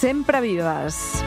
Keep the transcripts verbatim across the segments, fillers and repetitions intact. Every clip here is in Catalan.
Sempre vives.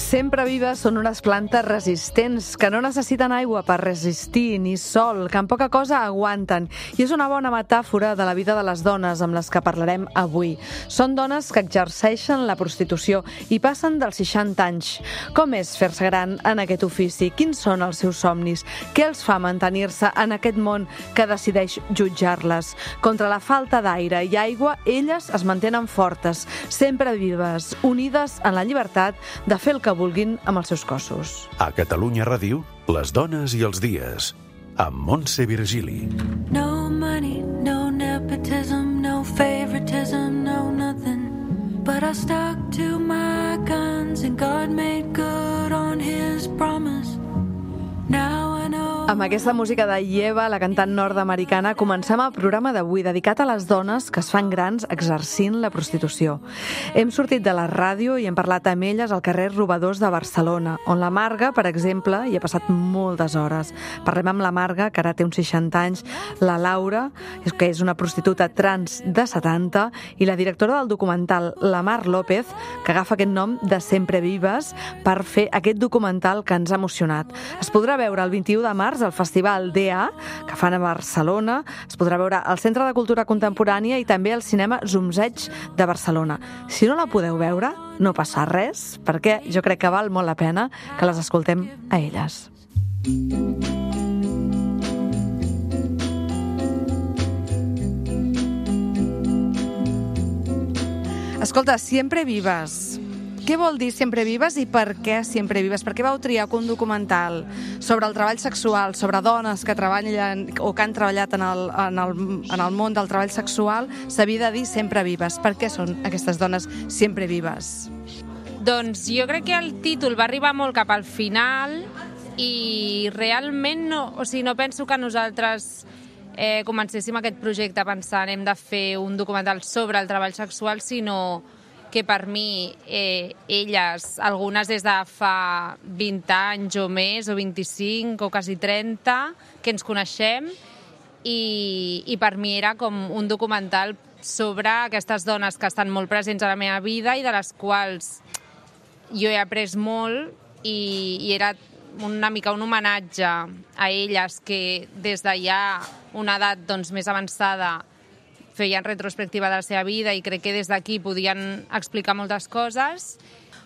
Sempre vives són unes plantes resistents que no necessiten aigua per resistir, ni sol, que en poca cosa aguanten. I és una bona metàfora de la vida de les dones amb les que parlarem avui. Són dones que exerceixen la prostitució i passen dels seixanta anys. Com és fer-se gran en aquest ofici? Quins són els seus somnis? Què els fa mantenir-se en aquest món que decideix jutjar-les? Contra la falta d'aire i aigua, elles es mantenen fortes, sempre vives, unides en la llibertat de fer el que vulguin amb els seus cossos. A Catalunya Ràdio, les dones i els dies, amb Montse Virgili. No money, no nepotism, no favoritism, no nothing. But I stuck to my guns and God made good on his promise. Now I know. Amb aquesta música de Yeva, la cantant nord-americana, comencem el programa d'avui dedicat a les dones que es fan grans exercint la prostitució. Hem sortit de la ràdio i hem parlat amb elles al carrer Robadors de Barcelona, on la Marga, per exemple, hi ha passat moltes hores. Parlem amb la Marga, que ara té uns seixanta anys, la Laura, que és una prostituta trans de setanta, i la directora del documental, la Mar López, que agafa aquest nom de Sempre Vives per fer aquest documental que ens ha emocionat. Es podrà veure el vint-i-u de març al Festival D A, que fan a Barcelona. Es podrà veure al Centre de Cultura Contemporània i també al cinema Zumzeig de Barcelona. Si no la podeu veure, no passa res, perquè jo crec que val molt la pena que les escoltem a elles. Escolta, Sempre Vives. Què vol dir Sempre Vives i per què Sempre Vives? Per què vau triar que un documental sobre el treball sexual, sobre dones que treballen o que han treballat en el, en el, en el món del treball sexual, s'havia de dir Sempre Vives? Per què són aquestes dones sempre vives? Doncs jo crec que el títol va arribar molt cap al final i realment no, o sigui, no penso que nosaltres eh, comencéssim aquest projecte pensant hem de fer un documental sobre el treball sexual, sinó que per mi, eh, elles, algunes des de fa vint anys o més, o vint-i-cinc, o quasi trenta, que ens coneixem, i, i per mi era com un documental sobre aquestes dones que estan molt presents a la meva vida i de les quals jo he après molt, i, i era una mica un homenatge a elles que des de ja una edat doncs, més avançada feien retrospectiva de la seva vida i crec que des d'aquí podien explicar moltes coses.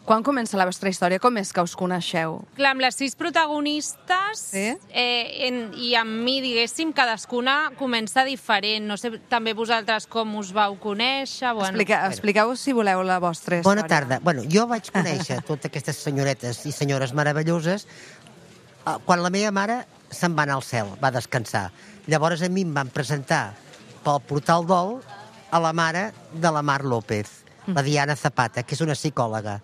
Quan comença la vostra història? Com és que us coneixeu? Clar, amb les sis protagonistes sí? eh, en, i amb mi, diguéssim, cadascuna comença diferent. No sé també vosaltres com us vau conèixer. Bueno. Explica, expliqueu, si voleu, la vostra història. Bona tarda. Bueno, jo vaig conèixer totes aquestes senyoretes i senyores meravelloses quan la meva mare se'n va anar al cel, va descansar. Llavors a mi em van presentar pel portal d'Ol a la mare de la Mar López, la Diana Zapata, que és una psicòloga.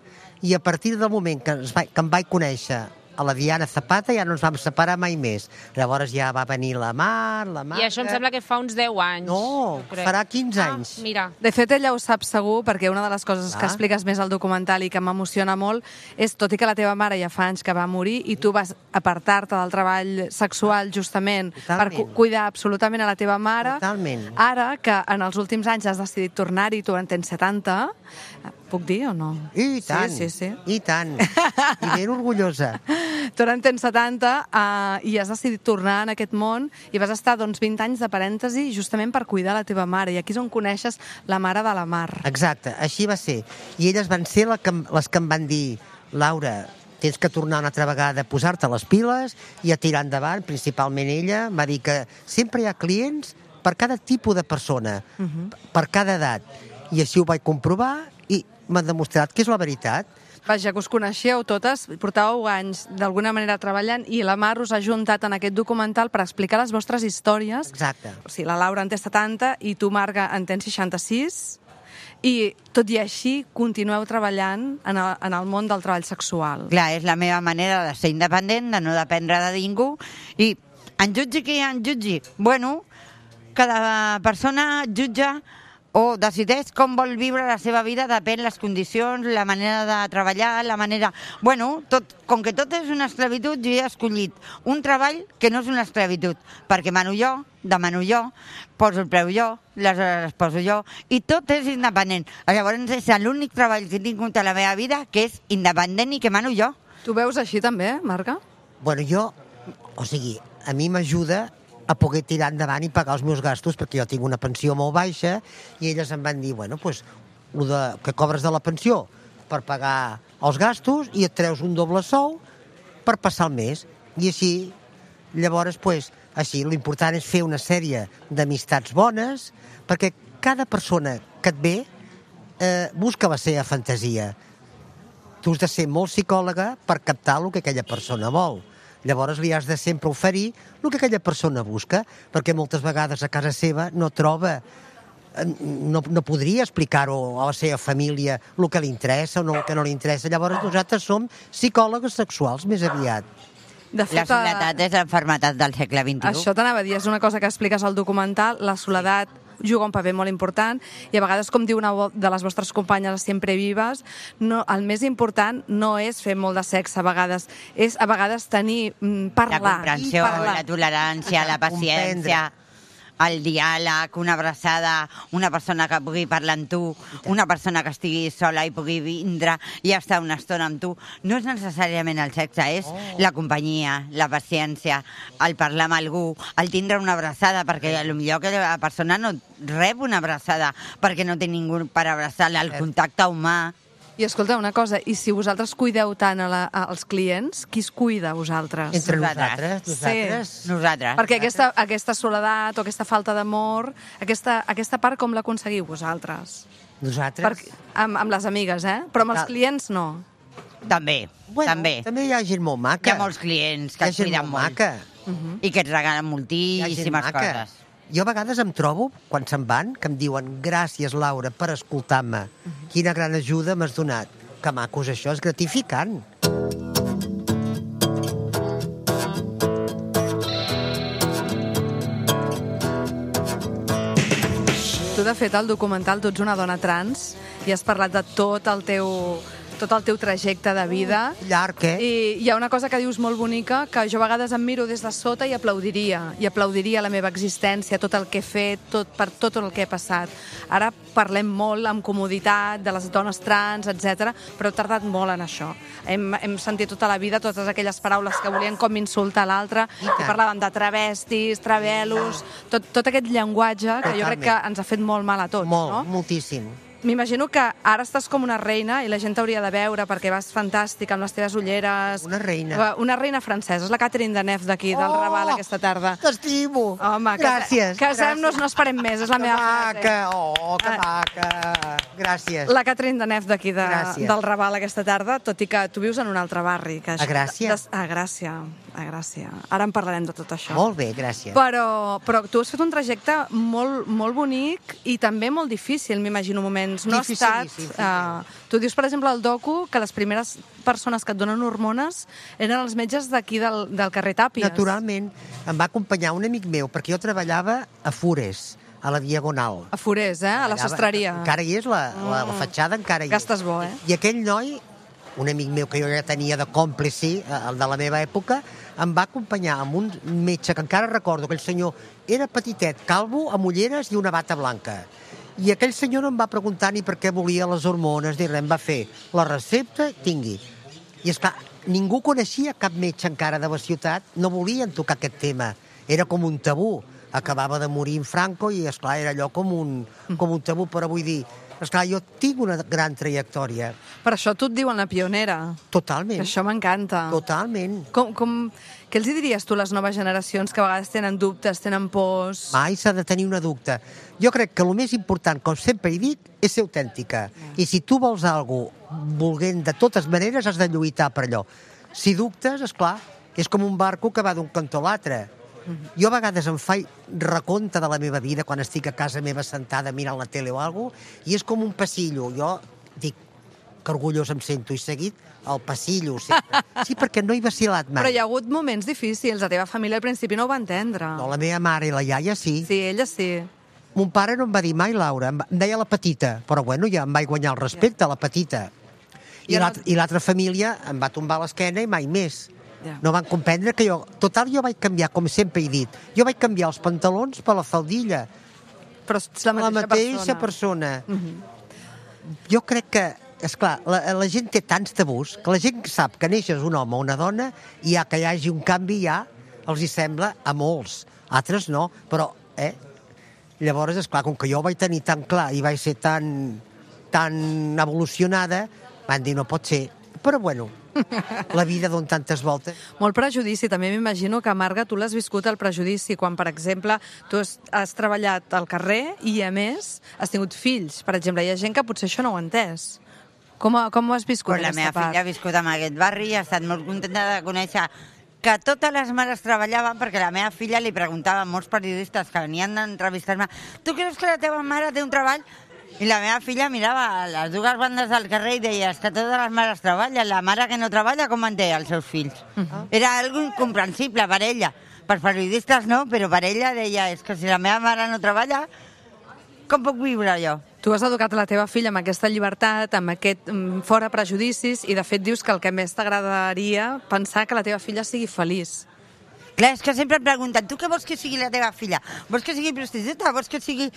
I a partir del moment que, ens va, que em vaig conèixer a la Diana Zapata ja no ens vam separar mai més. Llavors ja va venir la Mar, la Marga... I això em sembla que fa uns deu anys. No, farà quinze anys. Ah, mira. De fet, ella ho sap segur, perquè una de les coses ah. que expliques més al documental i que m'emociona molt és, tot i que la teva mare ja fa anys que va morir i tu vas apartar-te del treball sexual justament Totalment. per cu cuidar absolutament a la teva mare, Totalment. Ara que en els últims anys has decidit tornar-hi, tu en tens setanta, puc dir o no? I tant, sí, sí, sí. i tant. I ben orgullosa. Tu ara en tens setanta uh, i has decidit tornar en aquest món i vas estar doncs, vint anys de parèntesi justament per cuidar la teva mare. I aquí és on coneixes la mare de la Mar. Exacte, així va ser. I elles van ser la que, les que em van dir Laura, tens que tornar una altra vegada a posar-te les piles i a tirar endavant, principalment ella. M'ha dit que sempre hi ha clients per cada tipus de persona, uh-huh. per cada edat. I així ho vaig comprovar i m'ha demostrat que és la veritat. Vaja, que us coneixeu totes, portàveu anys d'alguna manera treballant i la Mar us ha juntat en aquest documental per explicar les vostres històries. Exacte. O sigui, la Laura en té setanta i tu, Marga, en tens seixanta-sis i tot i així continueu treballant en el, en el món del treball sexual. Clar, és la meva manera de ser independent, de no dependre de ningú i en jutgi qui en jutgi? Bueno, cada persona jutja o decideix com vol viure la seva vida, depèn les condicions, la manera de treballar, la manera... Bueno, tot, com que tot és una esclavitud, jo he escollit un treball que no és una esclavitud, perquè mano jo, demano jo, poso el preu jo, les hores les poso jo, i tot és independent. Llavors és l'únic treball que he tingut a la meva vida que és independent i que mano jo. Tu veus així també, Marga? Bueno, jo, o sigui, a mi m'ajuda a poder tirar endavant i pagar els meus gastos, perquè jo tinc una pensió molt baixa, i elles em van dir, bueno, doncs, el de, que cobres de la pensió per pagar els gastos i et treus un doble sou per passar el mes. I així, llavors, doncs, així, l'important és fer una sèrie d'amistats bones, perquè cada persona que et ve eh, busca la seva fantasia. Tu has de ser molt psicòloga per captar el que aquella persona vol. Llavors li has de sempre oferir el que aquella persona busca, perquè moltes vegades a casa seva no troba, no, no podria explicar-ho a la seva família el que li interessa o no, el que no li interessa. Llavors nosaltres som psicòlogues sexuals més aviat. De fet, la soledat és l'enfermetat del segle vint-i-u. Això t'anava a dir, és una cosa que expliques al documental, la soledat juga un paper molt important i a vegades, com diu una de les vostres companyes sempre vives, no, el més important no és fer molt de sexe a vegades, és a vegades tenir, parlar. La comprensió, parlar. La tolerància, la paciència, el diàleg, una abraçada, una persona que pugui parlar amb tu, una persona que estigui sola i pugui vindre i estar una estona amb tu. No és necessàriament el sexe, és oh. la companyia, la paciència, el parlar amb algú, el tindre una abraçada, perquè potser que la persona no rep una abraçada perquè no té ningú per abraçar-la, el contacte humà. I escolta, una cosa, i si vosaltres cuideu tant a la, als clients, qui es cuida a vosaltres? Entre nosaltres. Nosaltres. Sí. Nosaltres. Perquè aquesta, aquesta soledat o aquesta falta d'amor, aquesta, aquesta part com l'aconseguiu vosaltres? Nosaltres. Per, amb, amb les amigues, eh? Però amb els clients no. També, bueno, també. També hi ha gent molt maca. Hi ha molts clients que et cuiden molt. Maca. Uh-huh. I que et regalen moltíssimes coses. Jo a vegades em trobo, quan se'n van, que em diuen gràcies, Laura, per escoltar-me. Uh-huh. Quina gran ajuda m'has donat. Que macos, això és gratificant. Tu, de fet, al documental, tu ets una dona trans i has parlat de tot el teu... tot el teu trajecte de vida. Llarg, eh? I hi ha una cosa que dius molt bonica, que jo a vegades em miro des de sota i aplaudiria, i aplaudiria la meva existència, tot el que he fet, tot, per tot el que he passat. Ara parlem molt amb comoditat de les dones trans, etcètera, però he tardat molt en això. Hem, hem sentit tota la vida totes aquelles paraules que volien com insultar l'altre, i parlàvem de travestis, travelos, tot, tot aquest llenguatge que jo crec que ens ha fet molt mal a tots, molt, no? Moltíssim. M'imagino que ara estàs com una reina i la gent t'hauria de veure perquè vas fantàstica amb les teves ulleres. Una reina. Una reina francesa. És la Catherine Deneuve d'aquí, del oh, Raval, aquesta tarda. T'estimo. Home, gràcies. Casem-nos, no esperem més, és la que meva maca. frase. Oh, que maca. Gràcies. La Catherine Deneuve d'aquí, de, del Raval, aquesta tarda, tot i que tu vius en un altre barri. Que a Gràcia? De, a Gràcia, a Gràcia. Ara en parlarem de tot això. Molt bé, gràcies. Però, però tu has fet un trajecte molt, molt bonic i també molt difícil, m'imagino, moments. No has estat... Sí, sí, sí. Uh, tu dius, per exemple, al docu que les primeres persones que et donen hormones eren els metges d'aquí del, del carrer Tàpies. Naturalment. Em va acompanyar un amic meu, perquè jo treballava a Fures, a la Diagonal. A Forés, eh? A la sastreria. Encara hi és, la, la, la fatxada encara hi és. Gastes bo, eh? I aquell noi, un amic meu que jo ja tenia de còmplici, el de la meva època, em va acompanyar amb un metge que encara recordo, aquell senyor era petitet, calvo, amb ulleres i una bata blanca. I aquell senyor no em va preguntar ni per què volia les hormones, ni res, em va fer la recepta, tingui. I esclar, ningú coneixia cap metge encara de la ciutat, no volien tocar aquest tema. Era com un tabú. Acabava de morir en Franco i, esclar, era allò com un, com un tabú, però vull dir, esclar, jo tinc una gran trajectòria. Per això tu et diuen la pionera. Totalment. Això m'encanta. Totalment. Com, com, què els diries tu a les noves generacions que a vegades tenen dubtes, tenen pors? Mai s'ha de tenir una dubte. Jo crec que el més important, com sempre he dit, és ser autèntica. I si tu vols alguna cosa volent de totes maneres, has de lluitar per allò. Si dubtes, esclar, és com un barco que va d'un cantó a l'altre. Jo a vegades em faig recompte de la meva vida quan estic a casa meva sentada mirant la tele o alguna cosa, i és com un passillo. Jo dic que orgullós em sento i seguit el passillo sempre. Sí, perquè no he vacilat mai. Però hi ha hagut moments difícils. La teva família al principi no ho va entendre. No, la meva mare i la iaia sí. Sí, ella sí. mon pare no em va dir mai Laura, em deia la petita, però bueno, ja em vaig guanyar el respecte, la petita. I l'altra família em va tombar l'esquena i mai més. No van comprendre que jo... Total, jo vaig canviar, com sempre he dit, jo vaig canviar els pantalons per la faldilla. Però ets la mateixa, la mateixa persona. persona. Uh-huh. Jo crec que, esclar, la, la gent té tants tabús que la gent sap que neixes un home o una dona i ja que hi hagi un canvi ja els hi sembla a molts. Altres no, però... Eh? Llavors, esclar, com que jo ho vaig tenir tan clar i vaig ser tan, tan evolucionada, van dir, no pot ser. Però bueno, la vida dona tantes voltes. Molt prejudici. També m'imagino que, Marga, tu l'has viscut el prejudici quan, per exemple, tu has, has treballat al carrer i, a més, has tingut fills. Per exemple, hi ha gent que potser això no ho ha entès. Com, com ho has viscut, pues aquesta part? La meva part? filla ha viscut en aquest barri i ha estat molt contenta de conèixer que totes les mares treballaven, perquè la meva filla li preguntava a molts periodistes que venien a entrevistar-me: tu creus que la teva mare té un treball? I la meva filla mirava a les dues bandes del carrer i deia: és que totes les mares treballen, la mare que no treballa com manté els seus fills? Uh-huh. Era algo incomprensible per ella. Per periodistes no, però per ella deia: és que si la meva mare no treballa, com puc viure jo? Tu has educat la teva filla amb aquesta llibertat, amb aquest fora prejudicis, i de fet dius que el que més t'agradaria pensar que la teva filla sigui feliç. Clar, és que sempre em pregunten: tu què vols que sigui la teva filla? Vols que sigui prostituta? Vols que sigui...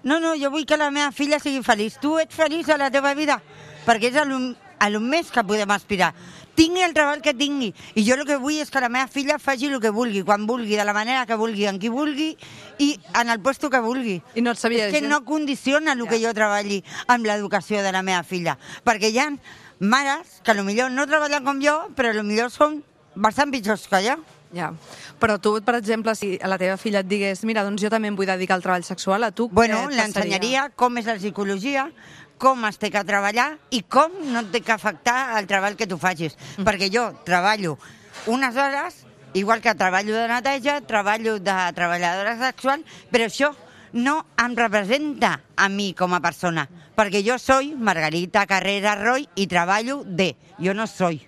No, no, jo vull que la meva filla sigui feliç. Tu ets feliç a la teva vida? Perquè és a lo, a lo més que podem aspirar. Tingui el treball que tingui. I jo el que vull és que la meva filla faci el que vulgui, quan vulgui, de la manera que vulgui, en qui vulgui i en el puesto que vulgui. I no et sabia és que no condiciona el que jo treballi amb l'educació de la meva filla. Perquè hi ha mares que potser no treballen com jo, però potser són bastant pitjors que jo. Ja. Però tu, per exemple, si a la teva filla et digués: mira, doncs jo també em vull dedicar al treball sexual, a tu bueno, què et l'ensenyaria com és la psicologia, com es té que treballar i com no et té que afectar el treball que tu facis. Mm. Perquè jo treballo unes hores, igual que treballo de neteja, treballo de treballadora sexual, però això no em representa a mi com a persona. Perquè jo soy Margarita Carrera Roy i treballo de... Jo no soy.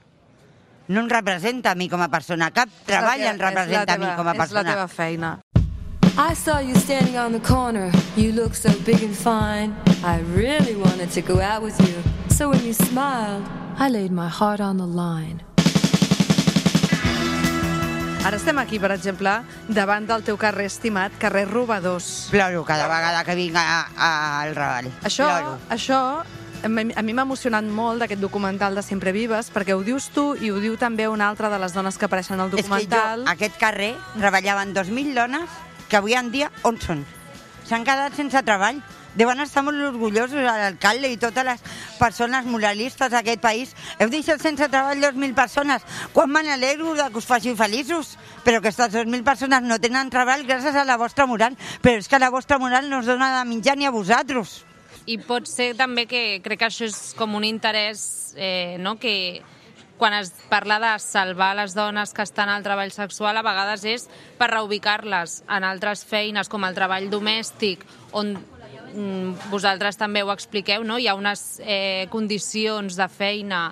No em representa a mi com a persona. Cap treball em representa a mi com a persona. És la teva feina. I saw you standing on the corner. You look so big and fine. I really wanted to go out with you. So when you smiled, I laid my heart on the line. Ara estem aquí, per exemple, davant del teu carrer estimat, carrer Robadors. Ploro cada vegada que vinc al Raval. Això, Ploro. això a mi m'ha emocionat molt d'aquest documental de Sempre Vives, perquè ho dius tu i ho diu també una altra de les dones que apareixen al documental. És que jo, aquest carrer, treballaven dos mil dones que avui en dia on són? S'han quedat sense treball. Deuen estar molt orgullosos l'alcalde i totes les persones moralistes d'aquest país. Heu deixat sense treball dos mil persones. Quan me n'alegro de que us faci feliços, però aquestes dos mil persones no tenen treball gràcies a la vostra moral. Però és que la vostra moral no us dona de menjar ni a vosaltres. I pot ser també que crec que això és com un interès, eh, no?, que quan es parla de salvar les dones que estan al treball sexual, a vegades és per reubicar-les en altres feines, com el treball domèstic, on mm, vosaltres també ho expliqueu, no? Hi ha unes eh, condicions de feina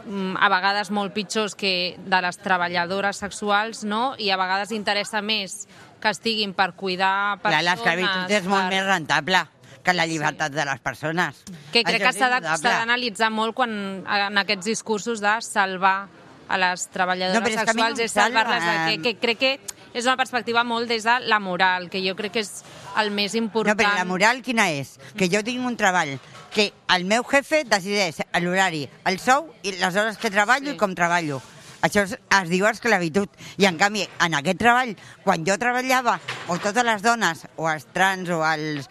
mm, a vegades molt pitjors que de les treballadores sexuals, no? I a vegades interessa més que estiguin per cuidar persones... Clar, l'esclavitud és molt més rentable que la llibertat sí. de les persones. Que crec Això que s'ha d'analitzar molt quan en aquests discursos de salvar a les treballadores no, sexuals, no és salvar-les, que, que crec que és una perspectiva molt des de la moral, que jo crec que és el més important. No, però la moral quina és? Que jo tinc un treball, que el meu jefe decideix l'horari, el sou i les hores que treballo sí. i com treballo. Això es, es diu esclavitud. I en canvi, en aquest treball, quan jo treballava, o totes les dones, o els trans, o els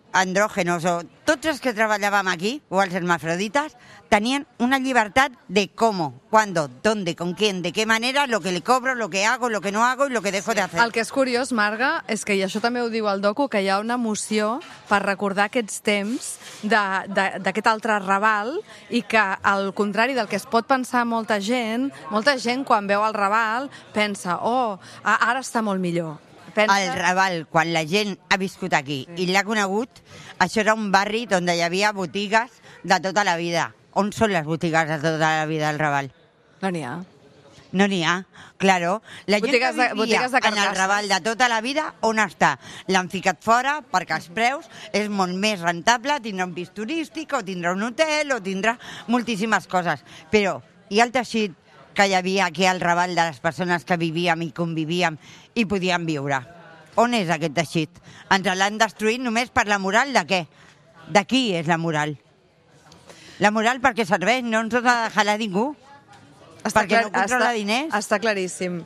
andrògenos, o tots els que treballàvem aquí, o els hermafroditas, tenien una llibertat de cómo, cuándo, dónde, con quién, de qué manera, lo que le cobro, lo que hago, lo que no hago y lo que dejo sí. de hacer. El que és curiós, Marga, és que, i això també ho diu el docu, que hi ha una moció per recordar aquests temps d'aquest altre Raval i que, al contrari del que es pot pensar molta gent, molta gent quan veu el Raval pensa, oh, ara està molt millor. Pensa... El Raval, quan la gent ha viscut aquí sí. i l'ha conegut, això era un barri on hi havia botigues de tota la vida. On són les botigues de tota la vida del Raval? No n'hi ha. No n'hi ha, claro. La gent Botigues de- que vivia botigues de en el carcasses. Raval de tota la vida, on està? L'han ficat fora perquè els preus és molt més rentable, tindrà un pis turístic, o tindrà un hotel, o tindrà moltíssimes coses. Però hi ha el teixit que hi havia aquí al Raval de les persones que vivíem i convivíem i podíem viure. On és aquest teixit? Ens l'han destruït només per la moral de què? De qui és la moral? La moral per què serveix? No ens ha de dejar a ningú? Està Perquè no controla està, diners? Està claríssim.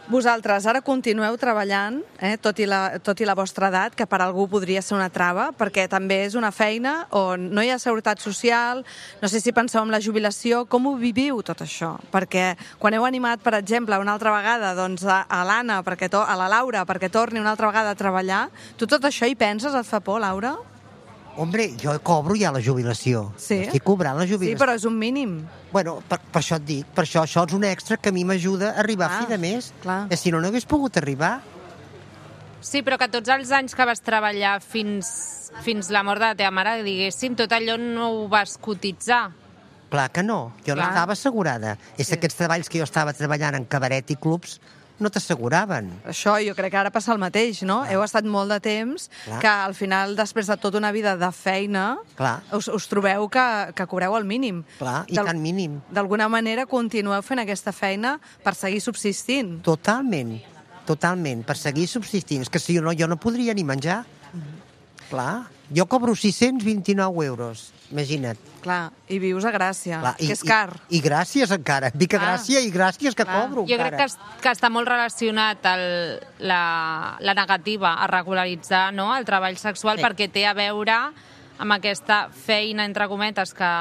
Vosaltres ara continueu treballant, eh, tot, i la, tot i la vostra edat, que per algú podria ser una trava, perquè també és una feina on no hi ha seguretat social, no sé si penseu en la jubilació, com ho viviu tot això? Perquè quan heu animat, per exemple, una altra vegada doncs, a, a l'Anna, perquè to, a la Laura, perquè torni una altra vegada a treballar, tu tot això hi penses? Et fa por, Laura? Hombre, jo cobro ja la jubilació. Sí? Estic cobrant la Sí, jubilació. però és un mínim. Bueno, per, per això et dic, per això això és un extra que a mi m'ajuda a arribar Ah, a fi de mes. clar. Eh, si no, no hagués pogut arribar. Sí, però que tots els anys que vas treballar fins, fins la mort de la teva mare, diguéssim, tot allò no ho vas cotitzar. Clar que no, jo no Clar. estava assegurada. És Sí. aquests treballs que jo estava treballant en cabaret i clubs no t'asseguraven. Això jo crec que ara passa el mateix, no? Heu estat molt de temps Clar. que al final, després de tota una vida de feina, Clar. us, us trobeu que, que cobreu el mínim. Clar, i D'al- tan mínim. D'alguna manera continueu fent aquesta feina per seguir subsistint. Totalment, totalment, per seguir subsistint. És que si no, jo no podria ni menjar. Clar, jo cobro sis-cents vint-i-nou euros, imagina't. Clar, i vius a Gràcia, Clar, que és car. I, i gràcies encara, vic a Clar. Gràcia i gràcies que Clar. cobro Jo crec encara. que, es- que està molt relacionat el, la, la negativa a regularitzar, no?, el treball sexual, Sí. perquè té a veure amb aquesta feina, entre cometes, que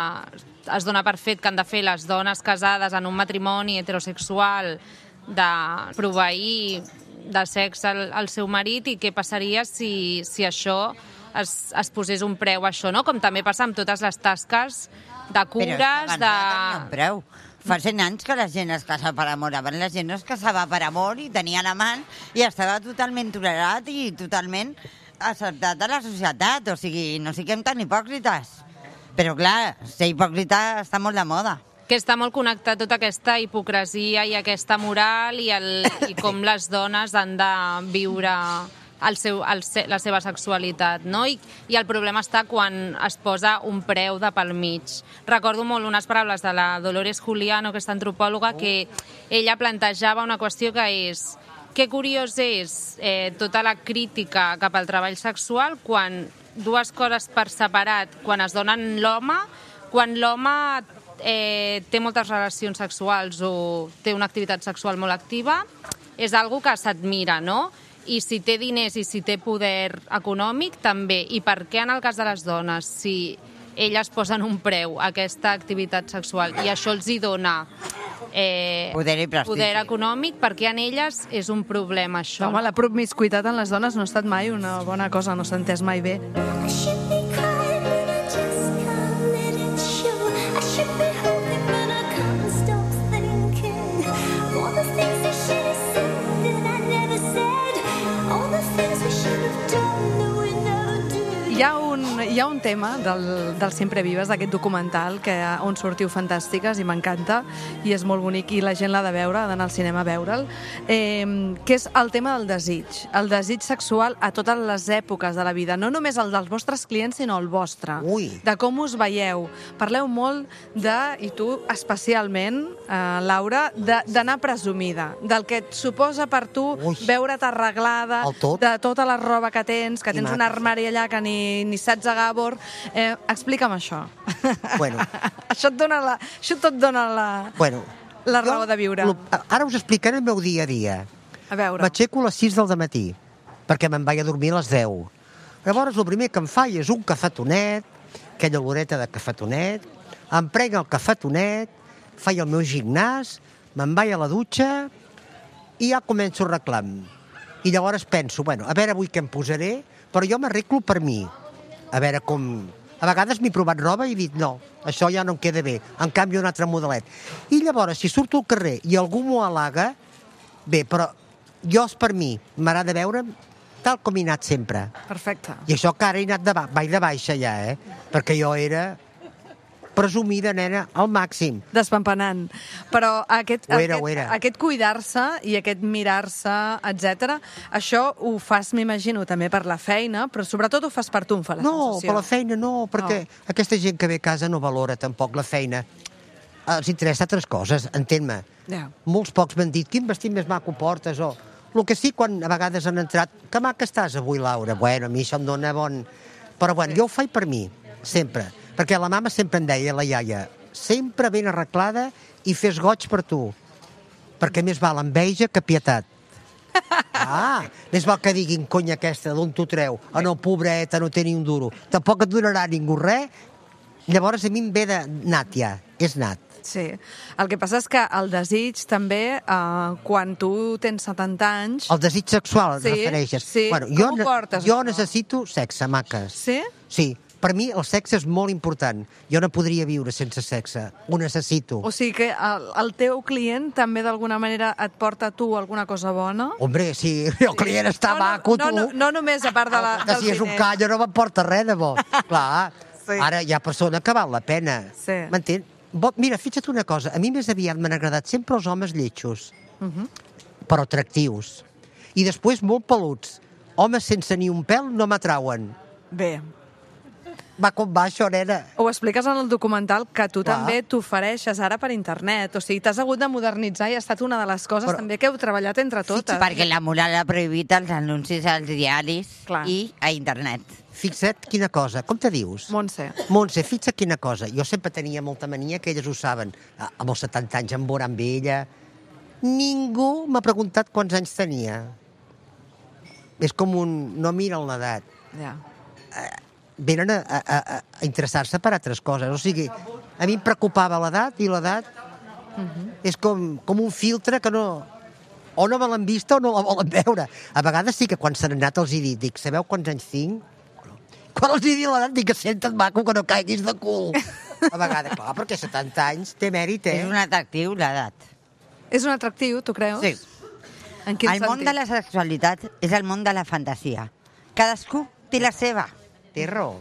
es dona per fet que han de fer les dones casades en un matrimoni heterosexual, de proveir de sexe al, al seu marit, i què passaria si, si això es, es posés un preu a això, no? Com també passa amb totes les tasques de Però cures, és que abans de... no tenia un preu. Fa cent anys que la gent es casa per amor. Abans la gent no es casava per amor i tenien amant i estava totalment tolerat i totalment acceptat a la societat. O sigui, no siguem tan hipòcrites. Però clar, ser hipòcrita està molt de moda. Que està molt connectat tota aquesta hipocresia i aquesta moral i, el, i com les dones han de viure el seu, el, se- la seva sexualitat, no? I, I el problema està quan es posa un preu de pel mig. Recordo molt unes paraules de la Dolores Juliano, aquesta antropòloga, que ella plantejava una qüestió que és: que curiós és eh, tota la crítica cap al treball sexual quan dues coses per separat, quan es donen l'home, quan l'home eh, té moltes relacions sexuals o té una activitat sexual molt activa, és algo que s'admira, no? I si té diners i si té poder econòmic, també. I per què en el cas de les dones, si elles posen un preu a aquesta activitat sexual i això els hi dona eh, Poder i prestigi. poder econòmic, per què en elles és un problema, això? Home, la promiscuitat en les dones no ha estat mai una bona cosa, no s'ha entès mai bé. I should be crying, but I just can't let it show. I should be hoping, but I can't stop thinking. All the things I should have said that I never said. All the things we should have done that we never did. Hi ha un, hi ha un tema del, del Sempre Vives, d'aquest documental, que, on sortiu fantàstiques i m'encanta, i és molt bonic, i la gent l'ha de veure, ha d'anar al cinema a veure'l, eh, que és el tema del desig. El desig sexual a totes les èpoques de la vida, no només el dels vostres clients, sinó el vostre. Ui. De com us veieu. Parleu molt de, i tu especialment, eh, Laura, de- d'anar presumida, del que et suposa per tu Ui. veure't arreglada, El tot. de tota la roba que tens, que I tens un maca. armari allà que ni, ni saps a Gabor. Eh, explica'm això. Bueno. això, et dona la, això tot dona la, Bueno, la jo raó de viure. lo- Ara us explicaré el meu dia a dia. A veure. M'aixeco a les sis del matí, perquè me'n vaig a dormir a les deu. Llavors, el primer que em faig és un cafetonet, aquella oloreta de cafetonet, em prenc el cafetonet, faig el meu gimnàs, me'n vaig a la dutxa i ja començo el reclam. I llavors penso, bueno, a veure avui què em posaré, però jo m'arreglo per mi. A veure com... A vegades m'he provat roba i he dit, no, això ja no em queda bé, en canvi un altre modelet. I llavors, si surto al carrer i algú m'ho halaga, bé, però jo és per mi, m'agrada veure'm tal com he anat sempre. Perfecte. I això que ara he anat de, ba vaig de baixa ja, eh? Perquè jo era presumida, nena, al màxim. Despampanant. Però aquest, Ho era, aquest, ho era. aquest cuidar-se i aquest mirar-se, etcètera, això ho fas, m'imagino, també per la feina, però sobretot ho fas per tu, em fa la No, sensació. per la feina no, perquè No. aquesta gent que ve a casa no valora tampoc la feina. Els interessa altres coses, entén-me. Ja. Molts pocs m'han dit, quin vestit més maco portes, o... El que sí, quan a vegades han entrat, que maca estàs avui, Laura? Bueno, a mi això em dona bon... Però bueno, jo ho faig per mi, sempre. Perquè la mama sempre em deia, la iaia, sempre ben arreglada i fes goig per tu. Perquè més val enveja que pietat. Ah, més val que diguin, conya aquesta, d'on t'ho treu? Ah, no, pobreta, no té ni un duro. Tampoc et donarà ningú res. Llavors a mi em ve de nat ja, és nat. Sí. El que passa és que el desig també, eh, quan tu tens setanta anys... El desig sexual et Sí, refereixes. sí. Bueno, Com jo, ho ne- portes, jo això? necessito sexe, maques. Sí? Sí, per mi el sexe és molt important. Jo no podria viure sense sexe. Ho necessito. O sigui que el, el teu client també d'alguna manera et porta a tu alguna cosa bona? Hombre, si el client està no, maco, no, tu... no, no només a part de la, que dels si és un diners. callo no m'emporta res de bo. Clar, Sí. ara hi ha persona que val la pena. Sí. M'entén? Bo, mira, fixa't una cosa. A mi més aviat m'han agradat sempre els homes lletjos, Mhm. però atractius. I després molt peluts. Homes sense ni un pèl no m'atrauen. Bé, Va com va això, nena. ho expliques en el documental que tu Clar. també t'ofereixes ara per internet. O sigui, t'has hagut de modernitzar i ha estat una de les coses Però- també que heu treballat entre totes. Perquè la moral ha prohibit els anuncis als diaris Clar. i a internet. Fixa't quina cosa. Com te dius? Montse. Montse, fixa't quina cosa. Jo sempre tenia molta mania, que elles ho saben. Ah, Amb els setanta anys em veurà amb ella. Ningú m'ha preguntat quants anys tenia. És com un... No miren l'edat. Ja. Venen a, a, a, a interessar-se per altres coses. O sigui, a mi em preocupava l'edat i l'edat és com, com un filtre que no... O no me l'han vista o no la volen veure. A vegades sí que quan s'han anat els hi dic, dic, sabeu quants anys tinc? Quan els hi dic l'edat dic que senta't maco que no caiguis de cul. A vegades, clar, perquè setanta anys té mèrit, eh? És un atractiu, l'edat. És un atractiu, tu creus? Sí. En quin El món sentit? de la sexualitat és el món de la fantasia. Cadascú té la seva. Té raó.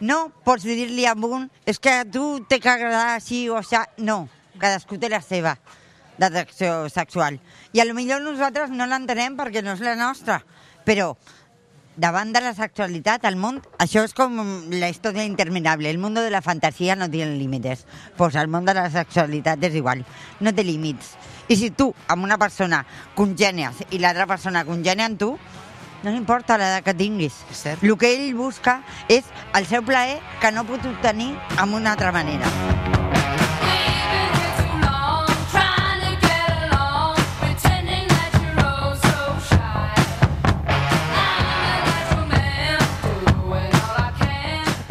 No pots dir-li a un, és que a tu té que agradar així o això. No, cadascú té la seva d'atracció sexual. I a lo millor nosaltres no l'entenem perquè no és la nostra, però davant de la sexualitat, el món, això és com la història interminable. El món de la fantasia no té límits. Pues el món de la sexualitat és igual, no té límits. I si tu amb una persona congènies i l'altra persona congènia amb tu, no importa l'edat que tinguis. És cert. El que ell busca és el seu plaer que no pot obtenir amb una altra manera.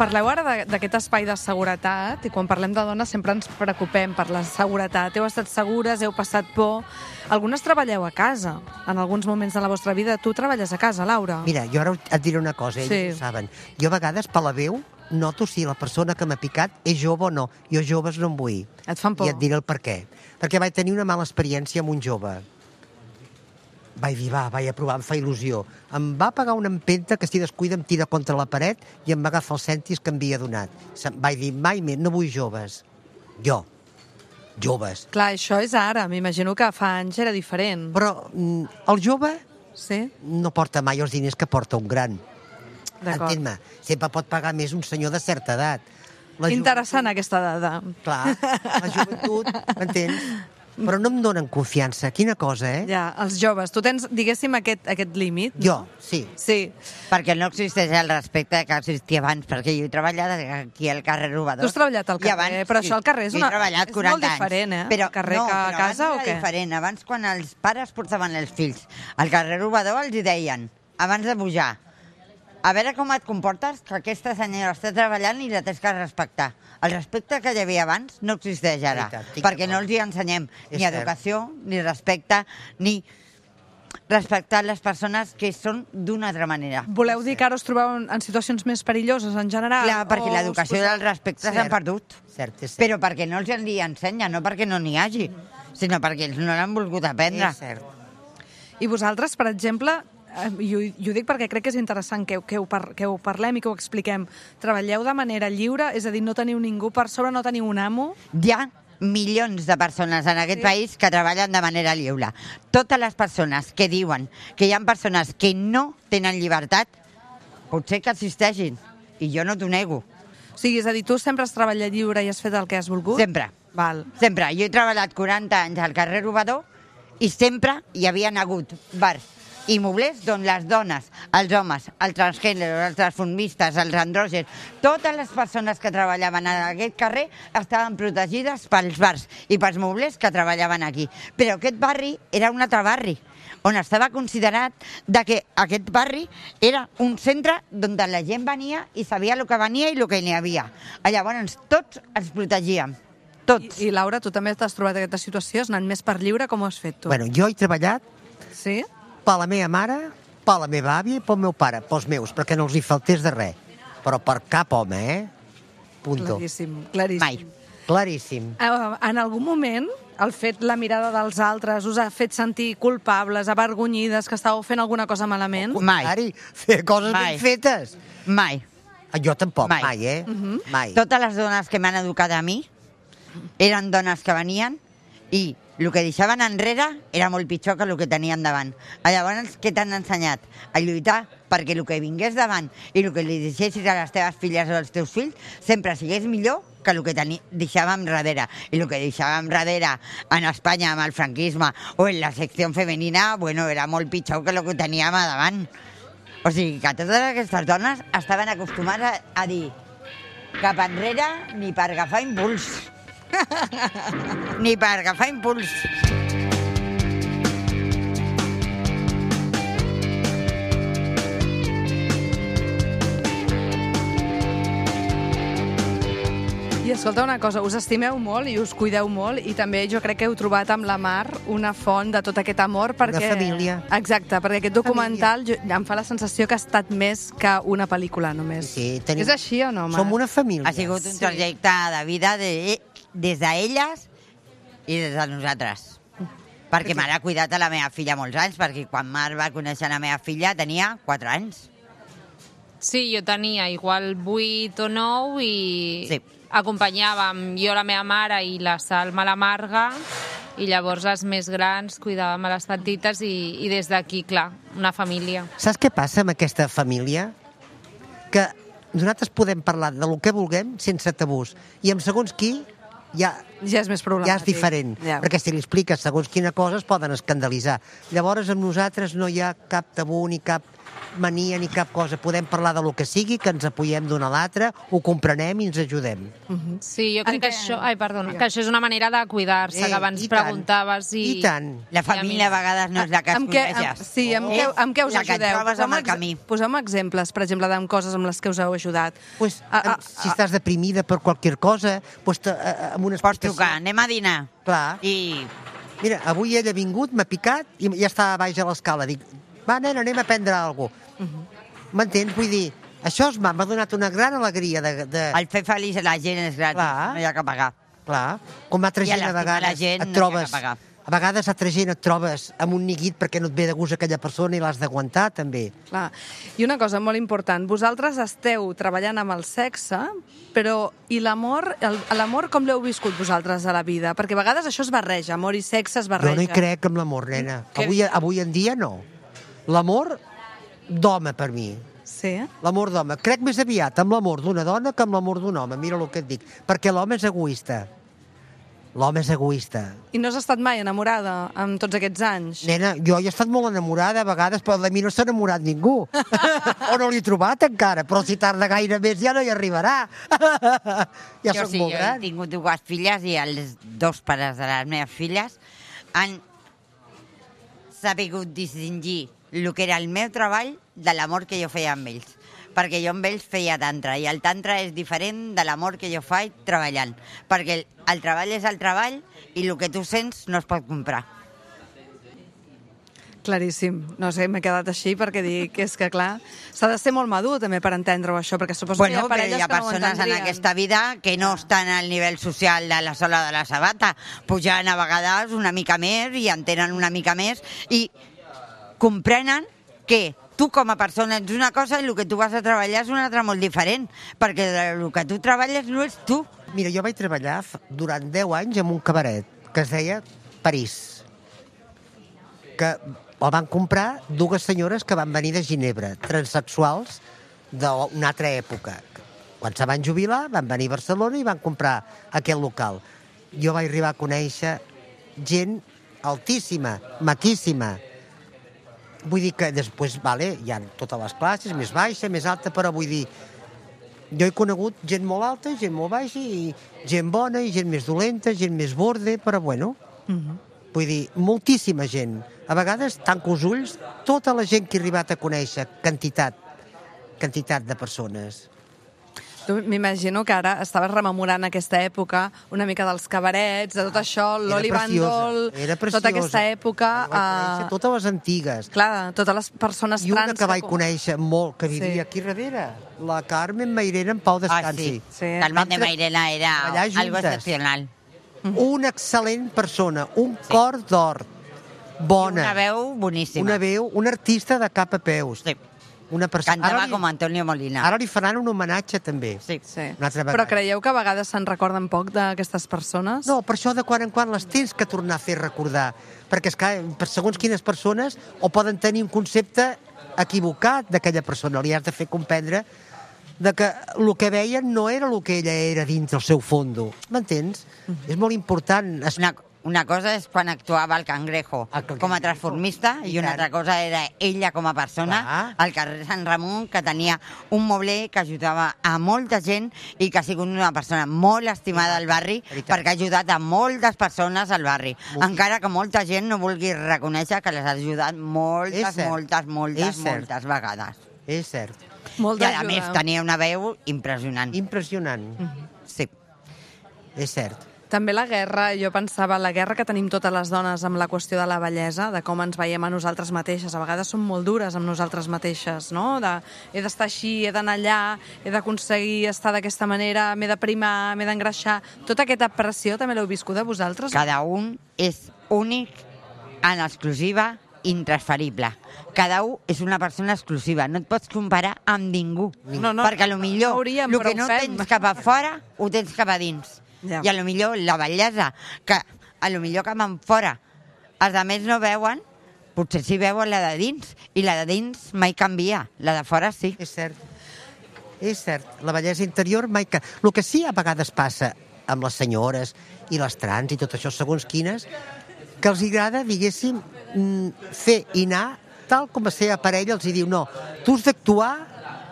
Parleu ara de- d'aquest espai de seguretat i quan parlem de dones sempre ens preocupem per la seguretat. Heu estat segures, heu passat por. Algunes treballeu a casa en alguns moments de la vostra vida. Tu treballes a casa, Laura? Mira, jo ara et diré una cosa, ells Sí. ho saben. Jo a vegades, per la veu, noto si la persona que m'ha picat és jove o no. Jo joves no en vull. Et fan por? I et diré el per què. Perquè vaig tenir una mala experiència amb un jove. Vaig dir, va, vaig a provar, em fa il·lusió. Em va pagar una empenta que si descuida em tira contra la paret i em va agafar els cèntims que em havia donat. Se'm- Vaig dir, mai més, no vull joves. Jo. Joves. Clar, això és ara. M'imagino que fa anys era diferent. Però mm, el jove Sí? no porta mai els diners que porta un gran. D'acord. Entén-me, sempre pot pagar més un senyor de certa edat. La Interessant aquesta dada. joventut, clar, la joventut, m'entens? Però no em donen confiança. Quina cosa, eh? Ja, els joves. Tu tens, diguéssim, aquest, aquest límit? Jo, sí. Sí. Perquè no existeix el respecte que existia abans, perquè jo he treballat aquí al carrer Robador. Tu has treballat al I carrer, però això al carrer és jo una- he treballat és quaranta molt diferent, anys. eh? Però, Al carrer no, que a però casa abans o era què? diferent. Abans, quan els pares portaven els fills al carrer Robador, els hi deien, abans de pujar, a veure com et comportes, que aquesta senyora està treballant i la tens que respectar. El respecte que hi havia abans no existeix ara, Veritat, estic perquè no d'acord. els hi ensenyem És ni cert. educació, ni respecte, ni respectar les persones que són d'una altra manera. Voleu dir que ara us trobeu en, en situacions més perilloses en general? Clar, perquè O l'educació us i el respecte Cert. s'han perdut. Cert, és cert. Però perquè no els en li ensenya, no perquè no n'hi hagi, sinó perquè ells no l'han volgut aprendre. És cert. I vosaltres, per exemple, i ho, i ho dic perquè crec que és interessant que, que, ho par, que ho parlem i que ho expliquem. Treballeu de manera lliure, és a dir, no teniu ningú per sobre, no teniu un amo? Hi ha milions de persones en aquest sí. país que treballen de manera lliure. Totes les persones que diuen que hi ha persones que no tenen llibertat, potser que existeixin, i jo no t'ho nego. O sigui, és a dir, tu sempre has treballat lliure i has fet el que has volgut? Sempre. Val. Sempre. Jo he treballat quaranta anys al carrer Robador i sempre hi havia hagut bars i moblers on les dones, els homes, els transgèneres, els transformistes, els andrògens, totes les persones que treballaven en aquest carrer estaven protegides pels bars i pels moblers que treballaven aquí. Però aquest barri era un altre barri, on estava considerat de que aquest barri era un centre on la gent venia i sabia el que venia i el que n'hi havia. Llavors tots ens protegíem. Tots. I, I Laura, tu també t'has trobat aquesta situació? Has anat més per lliure? Com ho has fet tu? Bueno, jo he treballat sí? per la meva mare, per la meva àvia i pel meu pare, pels meus, perquè no els hi faltés de res. Però per cap home, eh? Punto. Claríssim, claríssim. Mai. Claríssim. Uh, en algun moment, el fet, la mirada dels altres, us ha fet sentir culpables, avergonyides, que estàveu fent alguna cosa malament? Mai. Ari, fer coses Mai. ben fetes. Mai. Jo tampoc, mai, Mai. mai eh? Mhm. Mai. Totes les dones que m'han educat a mi eren dones que venien i el que deixaven enrere era molt pitjor que el que tenien davant. Llavors, què t'han ensenyat? A lluitar perquè el que vingués davant i el que li deixessis a les teves filles o als teus fills sempre sigués millor que el que teni... deixàvem darrere. I el que deixàvem darrere en Espanya amb el franquisme o en la secció femenina, bueno, era molt pitjor que el que teníem a davant. O sigui, que totes aquestes dones estaven acostumades a, a dir cap enrere ni per agafar impuls. Ni per agafar impuls. I escolta una cosa, us estimeu molt i us cuideu molt i també jo crec que heu trobat amb la Mar una font de tot aquest amor perquè... Una família. Exacte, perquè aquest documental jo, em fa la sensació que ha estat més que una pel·lícula només. Sí, tenim... És així o no, Mar? Som una família. Ha sigut un Sí. trajecte de vida de, des d'elles i des de nosaltres. Perquè m'ha cuidat a la meva filla molts anys, perquè quan Mar va conèixer la meva filla tenia quatre anys. Sí, jo tenia igual vuit o nou i Sí. acompanyàvem jo la meva mare i la Salma la Marga i llavors les més grans cuidàvem a les petites i, i des d'aquí, clar, una família. Saps què passa amb aquesta família? Que nosaltres podem parlar de lo que vulguem sense tabús. I amb segons qui ja, Ja és més problemàtic. ja és diferent. Ja. Perquè si li expliques segons quina cosa es poden escandalitzar. Llavors amb nosaltres no hi ha cap tabú ni cap mania ni cap cosa. Podem parlar de lo que sigui, que ens apoyem d'una a l'altra, ho comprenem i ens ajudem. Sí, jo crec En que què- això... Ai, perdona, que això és una manera de cuidar-se, Eh, que abans i tant. preguntaves i... I tant. La família a vegades no és la que Amb es què, amb, coneixes. sí, amb, És què, amb què us la que et ajudeu? trobes amb el ex- camí. Poseu-me exemples, per exemple, de coses amb les que us heu ajudat. Pues, Ah, ah, si estàs deprimida per qualsevol cosa, pues, te- eh, amb una Pots explicació... trucar, anem a dinar. Clar. I Mira, avui ella ha vingut, m'ha picat i ja està a baix a l'escala. Dic, va, nena, anem a prendre alguna cosa. M'entens? Vull dir, això es m'ha m'ha donat una gran alegria de... de... el fer feliç a la gent és gratis, Clar. no hi ha que pagar. Clar, com altra I a gent a l'estimar vegades la gent et no trobes... s'ha de pagar. A vegades altra gent et trobes amb un neguit perquè no et ve de gust aquella persona i l'has d'aguantar, també. Clar. I una cosa molt important, vosaltres esteu treballant amb el sexe, però i l'amor, el- l'amor com l'heu viscut vosaltres a la vida? Perquè a vegades això es barreja, amor i sexe es barreja. Jo no hi crec en l'amor, nena. Què? Avui, avui en dia no. L'amor d'home, per mi. Sí? L'amor d'home. Crec més aviat amb l'amor d'una dona que amb l'amor d'un home. Mira el que et dic. Perquè l'home és egoista. L'home és egoista. I no has estat mai enamorada amb tots aquests anys? Nena, jo he estat molt enamorada a vegades, però de mi no s'ha enamorat ningú. o no l'he trobat encara, però si tarda gaire més ja no hi arribarà. ja jo soc sí, molt jo gran. he tingut dues filles i els dos pares de les meves filles han sabut distingir el que era el meu treball de l'amor que jo feia amb ells. Perquè jo amb ells feia tantra, i el tantra és diferent de l'amor que jo faig treballant. Perquè el, el treball és el treball i el que tu sents no es pot comprar. Claríssim. No sé, m'he quedat així perquè dic que és que, clar, s'ha de ser molt madur també per entendre-ho, això, perquè suposo Bueno, que hi ha però parelles hi ha que no ho persones en entendrien. aquesta vida que no estan al nivell social de la sola de la sabata, pujant a vegades una mica més i entenen una mica més i comprenen que tu com a persona ets una cosa i el que tu vas a treballar és una altra molt diferent, perquè el que tu treballes no és tu. Mira, jo vaig treballar durant deu anys en un cabaret que es deia París, que el van comprar dues senyores que van venir de Ginebra, transsexuals d'una altra època. Quan se van jubilar, van venir a Barcelona i van comprar aquest local. Jo vaig arribar a conèixer gent altíssima, maquíssima. Vull dir que després, vale, hi ha totes les classes, més baixa, més alta, però vull dir, jo he conegut gent molt alta, gent molt baixa, i gent bona, i gent més dolenta, gent més borde, però bueno, uh-huh. Vull dir, moltíssima gent. A vegades tanco els ulls, tota la gent que he arribat a conèixer, quantitat, quantitat de persones. Tu m'imagino que ara estaves rememorant aquesta època, una mica dels cabarets, de tot això, l'Oli Bandol, tota aquesta època... Uh... Totes les antigues. Clar, totes les persones trans... I una trans que vaig que... conèixer molt, que vivia sí. aquí darrere, la Carmen Mairena en Pau Descansi. Ah, sí. sí. Carmen de Mairena era algo excepcional. Una excel·lent persona, un sí. cor d'or, bona. I una veu boníssima. Una veu, un artista de cap a peus. Sí. Una persona... Cantava li... com Antonio Molina. Ara li faran un homenatge, també. Sí. sí. Però creieu que a vegades se'n recorden poc d'aquestes persones? No, per això de quan en quan les tens que tornar a fer recordar. Perquè, esclar, per segons quines persones o poden tenir un concepte equivocat d'aquella persona. Li has de fer comprendre de que el que veien no era el que ella era dins del seu fondo. M'entens? Mm-hmm. És molt important... Es... Una... Una cosa és quan actuava el Cangrejo com a transformista i una altra cosa era ella com a persona al carrer Sant Ramon, que tenia un mobler que ajudava a molta gent i que ha sigut una persona molt estimada al barri perquè ha ajudat a moltes persones al barri. Encara que molta gent no vulgui reconèixer que les ha ajudat moltes, moltes, moltes, moltes vegades. És cert. I a més tenia una veu impressionant. Impressionant. Sí. És cert. També la guerra, jo pensava, la guerra que tenim totes les dones amb la qüestió de la bellesa, de com ens veiem a nosaltres mateixes. A vegades som molt dures amb nosaltres mateixes, no? De, he d'estar així, he d'anar allà, he d'aconseguir estar d'aquesta manera, m'he de primar, m'he d'engreixar. Tota aquesta pressió també l'heu viscuda vosaltres? Cada un és únic, en exclusiva, intransferible. Cada un és una persona exclusiva. No et pots comparar amb ningú. No, no, perquè potser no hauríem, el que no tens cap a fora, ho tens cap a dins. Ja. I a lo millor la bellesa, que a lo millor cap en fora els altres no veuen, potser sí veuen la de dins, i la de dins mai canvia, la de fora sí. És cert, és cert, la bellesa interior mai canvia. El que sí a vegades passa amb les senyores i les trans i tot això, segons quines, que els agrada, diguéssim, fer i anar tal com a ser a parella, els hi diu, no, tu has d'actuar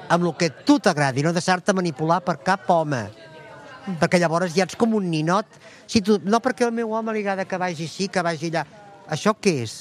amb el que tu t'agradi, no deixar-te manipular per cap home. Perquè llavors ja ets com un ninot. Si tu, no perquè el meu home li agrada que vagi així, que vagi allà. Això què és?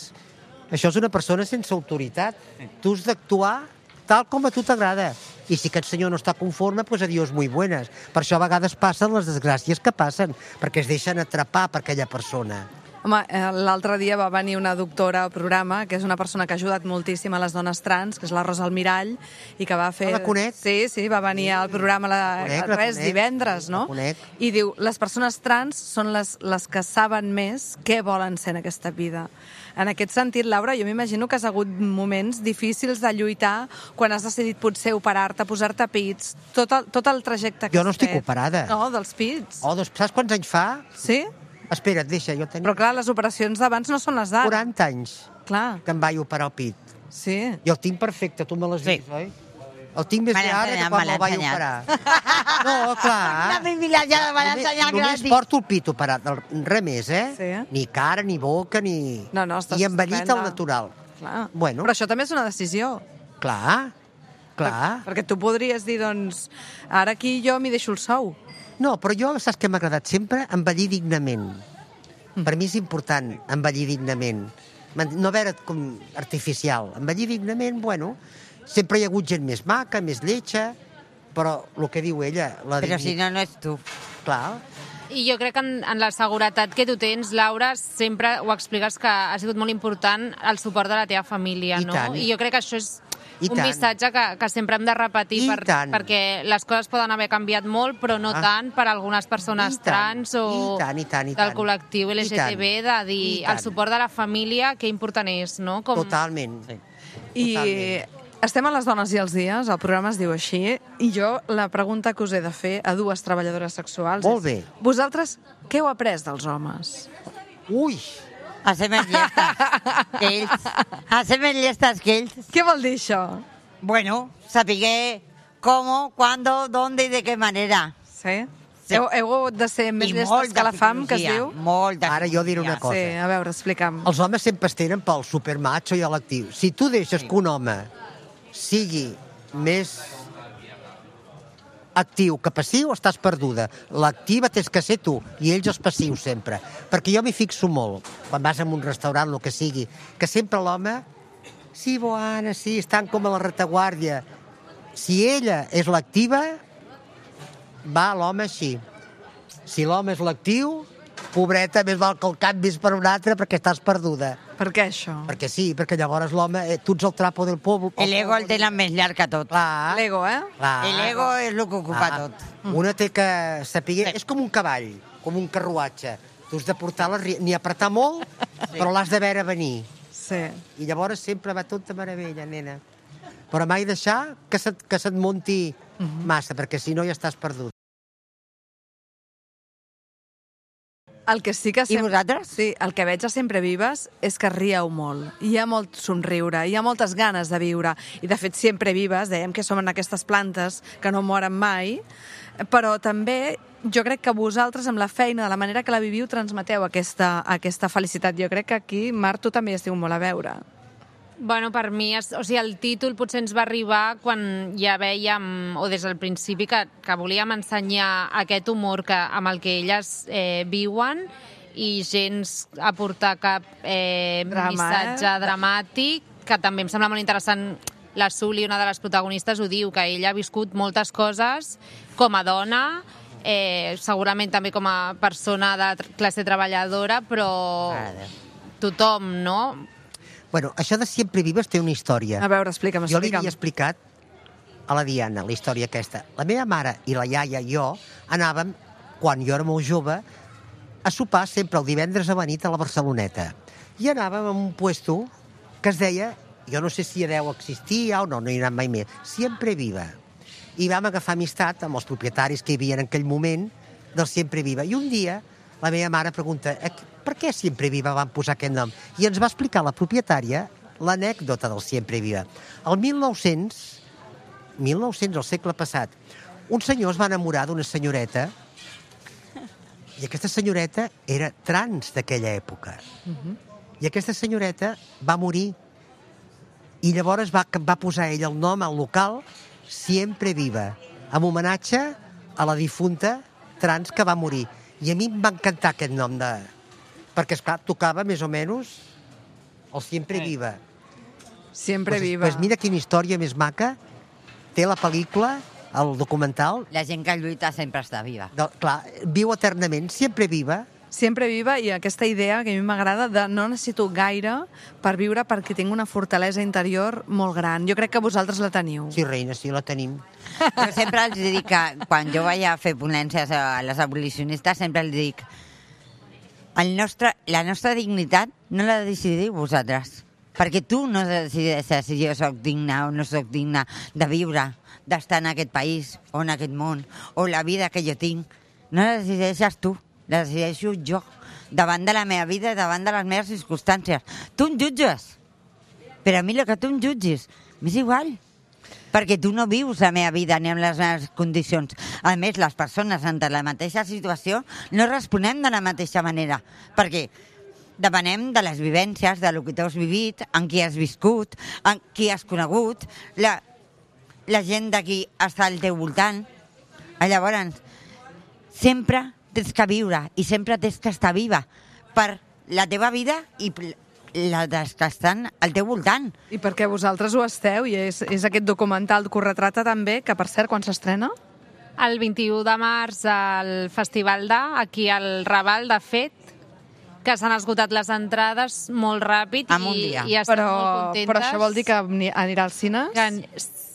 Això és una persona sense autoritat. Tu has d'actuar tal com a tu t'agrada. I si aquest senyor no està conforme, doncs adiós, muy buenas. Per això a vegades passen les desgràcies que passen, perquè es deixen atrapar per aquella persona. Home, l'altre dia va venir una doctora al programa, que és una persona que ha ajudat moltíssim a les dones trans, que és la Rosa Almirall, i que va fer... Ah, la conec? Sí, sí, va venir al programa la... conec, res, divendres, no? La conec. I diu, les persones trans són les, les que saben més què volen ser en aquesta vida. En aquest sentit, Laura, jo m'imagino que has hagut moments difícils de lluitar quan has decidit potser operar-te, posar-te pits, tot el, tot el trajecte que jo no has estic fet. operada. No, dels pits. Oh, doncs saps quants anys fa? Sí? Espera't, deixa, jo tenia... Però clar, les operacions d'abans no són les d'ara. quaranta anys clar. Que em vaig operar el pit. Sí. Jo el tinc perfecte, tu me l'has sí. vist, oi? El tinc més bé ara que quan me'l vaig operar. No, clar. La privilegiada me l'ha ensenyat gratis. Només porto el pit operat, res més, eh? Sí. Ni cara, ni boca, ni... No, no, estàs I envellit al natural. Clar. Bueno. Però això també és una decisió. Clar, clar. Per, perquè tu podries dir, doncs, ara aquí jo m'hi deixo el sou. No, però jo, saps què m'ha agradat sempre? Envellir dignament. Per mi és important envellir dignament. No veure com artificial. Envellir dignament, bueno, sempre hi ha hagut gent més maca, més lletja, però el que diu ella... La però si no, no és tu. Clar. I jo crec que en, en la seguretat que tu tens, Laura, sempre ho expliques que ha sigut molt important el suport de la teva família, I no? tant. I jo crec que això és I un tant. missatge que, que sempre hem de repetir per, perquè les coses poden haver canviat molt, però no ah. tant per algunes persones trans o I tant, i tant, i del tant. col·lectiu L G T B, de dir el suport de la família, que important és, no? Com... Totalment. Sí. I estem a les dones i els dies, el programa es diu així, i jo la pregunta que us he de fer a dues treballadores sexuals Molt és... bé. Vosaltres, què heu après dels homes? Ui! A ser més llestes que ells. A ser més llestes que ells. Què vol dir això? Bueno, sapiguer com, cuándo, dónde i de què manera. Sí? Sí. Heu, heu hagut de ser més I llestes molta que la fam, que es psicologia, diu? Molta Ara jo diré una psicologia. cosa. Sí, a veure, explica'm. Els homes sempre es tenen pel supermacho i a l'actiu. Si tu deixes que un home sigui més actiu que passiu, estàs perduda. L'activa tens que ser tu, i ells els passius sempre. Perquè jo m'hi fixo molt, quan vas a un restaurant, el que sigui, que sempre l'home, sí, Boana, sí, estan com a la retaguardia. Si ella és l'activa, va l'home així. Si l'home és l'actiu, pobreta, més val que el canvis per un altre perquè estàs perduda. Per què això? Perquè sí, perquè llavors l'home, eh, tu ets el trapo del poble. El ego el tenen més llarg que tot. Clar. L'ego, eh? Clar. El ego és el que ocupa Clar. tot. Una té que saber... És com un cavall, com un carruatge. Tu has de portar la... ni apretar molt, però l'has de veure venir. Sí. I llavors sempre va tot de meravella, nena. Però mai deixar que se't, que se't munti massa, perquè si no ja estàs perdut. El que sí que I vosaltres? Sí, el que veig a Sempre Vives és que rieu molt. Hi ha molt somriure, hi ha moltes ganes de viure. I, de fet, Sempre Vives, dèiem que som en aquestes plantes que no moren mai, però també jo crec que vosaltres, amb la feina, de la manera que la viviu, transmeteu aquesta, aquesta felicitat. Jo crec que aquí, Marc, tu també hi estiu molt a veure. Bueno, per mi, és, o sigui, el títol potser ens va arribar quan ja veiem, o des del principi, que, que volíem ensenyar aquest humor que, amb el que elles eh, viuen i gens aportar cap eh, Drama, missatge eh? dramàtic, que també em sembla molt interessant. La Suli, una de les protagonistes, ho diu, que ella ha viscut moltes coses com a dona, eh, segurament també com a persona de classe treballadora, però tothom, no? Bueno, això de Sempre Vives té una història. A veure, explica'm, Jo li explica'm. havia explicat a la Diana la història aquesta. La meva mare i la iaia i jo anàvem, quan jo era molt jove, a sopar sempre el divendres a la nit a la Barceloneta. I anàvem a un puesto que es deia, jo no sé si deu existir ja o no, no hi he anat mai més, Sempre Viva. I vam agafar amistat amb els propietaris que hi havia en aquell moment del Sempre Viva. I un dia la meva mare pregunta, per què Sempre Viva van posar aquest nom? I ens va explicar la propietària l'anècdota del Sempre Viva. El mil nou-cents, mil nou-cents, al segle passat, un senyor es va enamorar d'una senyoreta i aquesta senyoreta era trans d'aquella època. Uh-huh. I aquesta senyoreta va morir i llavors va, va posar ell el nom al local Sempre Viva, en homenatge a la difunta trans que va morir. I a mi em va encantar aquest nom de... Perquè, esclar, tocava més o menys el Sempre Viva. Sempre pues, Viva. Pues mira quina història més maca té la pel·lícula, el documental. La gent que lluita sempre està viva. De, clar, viu eternament, Sempre Viva. Sempre Viva, i aquesta idea que a mi m'agrada de no necessito gaire per viure perquè tinc una fortalesa interior molt gran. Jo crec que vosaltres la teniu. Sí, reina, sí, la tenim. Jo sempre els dic que quan jo vaig a fer ponències a les abolicionistes, sempre els dic el nostre, la nostra dignitat no la decidiu vosaltres. Perquè tu no decideixes si jo soc digna o no soc digna de viure, d'estar en aquest país o en aquest món, o la vida que jo tinc. No la decideixes tu, la decideixo jo, davant de la meva vida, davant de les meves circumstàncies. Tu em jutges, però a mi el que tu em jutgis m'és igual, perquè tu no vius la meva vida ni amb les meves condicions. A més, les persones entre la mateixa situació no responem de la mateixa manera, perquè depenem de les vivències, de lo que tu has vivit, en qui has viscut, en qui has conegut, la, la gent d'aquí està al teu voltant. Llavors, sempre tens que viure i sempre tens que estar viva per la teva vida i la dels que estan al teu voltant. I perquè vosaltres ho esteu, i és, és aquest documental que ho retrata també, que per cert, quan s'estrena? El vint-i-u de març al Festival d'A, aquí al Raval, de fet, que s'han esgotat les entrades molt ràpid en un i, dia. i estem Però, molt contentes. però això vol dir que anirà als cines? Que,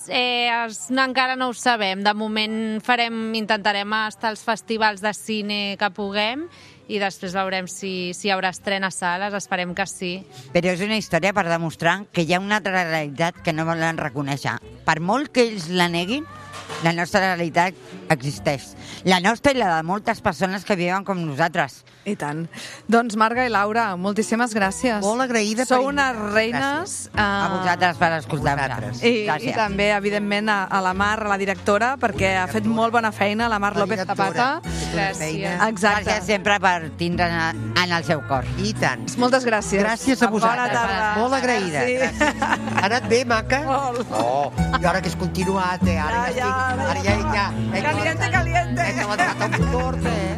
eh, es, no, encara no ho sabem. De moment farem, intentarem estar als festivals de cine que puguem i després veurem si, si hi haurà estrena a sales, esperem que sí. Però és una història per demostrar que hi ha una altra realitat que no volen reconèixer. Per molt que ells la neguin, la nostra realitat existeix. La nostra i la de moltes persones que viuen com nosaltres. I tant. Doncs Marga i Laura, moltíssimes gràcies. Molt agraïda. Sou per... unes reines. A vosaltres per escoltar-nos. I, I també, evidentment, a, a la Mar, a la directora, perquè ha fet molt bona feina, la Mar La López directora. Zapata. Gràcies. Exacte. Gràcies sempre per tindre en el seu cor. I tant. Moltes gràcies. Gràcies a vosaltres. Bona tarda. Molt agraïda. Sí. Ha anat bé, maca? Molt. Oh, i ara que és continuat, eh? Ara ja, Ja, ja, estic... Ara ja, ja. He Caliente, caliente. He calentat el motor, eh?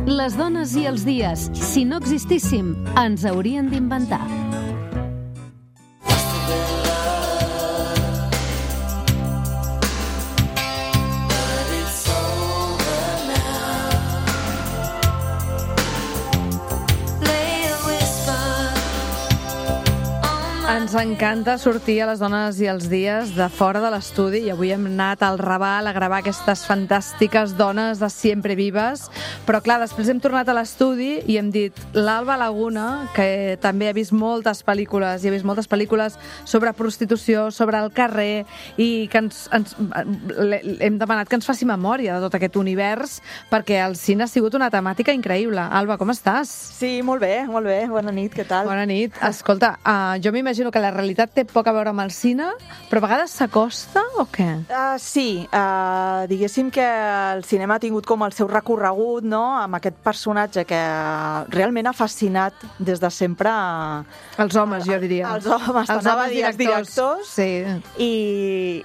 Les dones i els dies, si no existíssim, ens haurien d'inventar. Ens encanta sortir a les dones i els dies de fora de l'estudi i avui hem anat al Raval a gravar aquestes fantàstiques dones de Siempre Vives, però clar, després hem tornat a l'estudi i hem dit l'Alba Laguna, que també ha vist moltes pel·lícules i ha vist moltes pel·lícules sobre prostitució, sobre el carrer, i que ens, ens, hem demanat que ens faci memòria de tot aquest univers perquè el cine ha sigut una temàtica increïble. Alba, com estàs? Sí, molt bé, molt bé. Bona nit, què tal? Bona nit. Escolta, uh, jo m'imagino que la realitat té poc a veure amb el cine, però a vegades s'acosta o què? Uh, sí, uh, diguéssim que el cinema ha tingut com el seu recorregut, no?, amb aquest personatge que realment ha fascinat des de sempre... Els homes, jo diria. Els homes, els t'anava a homes dir, els directors. Sí. I,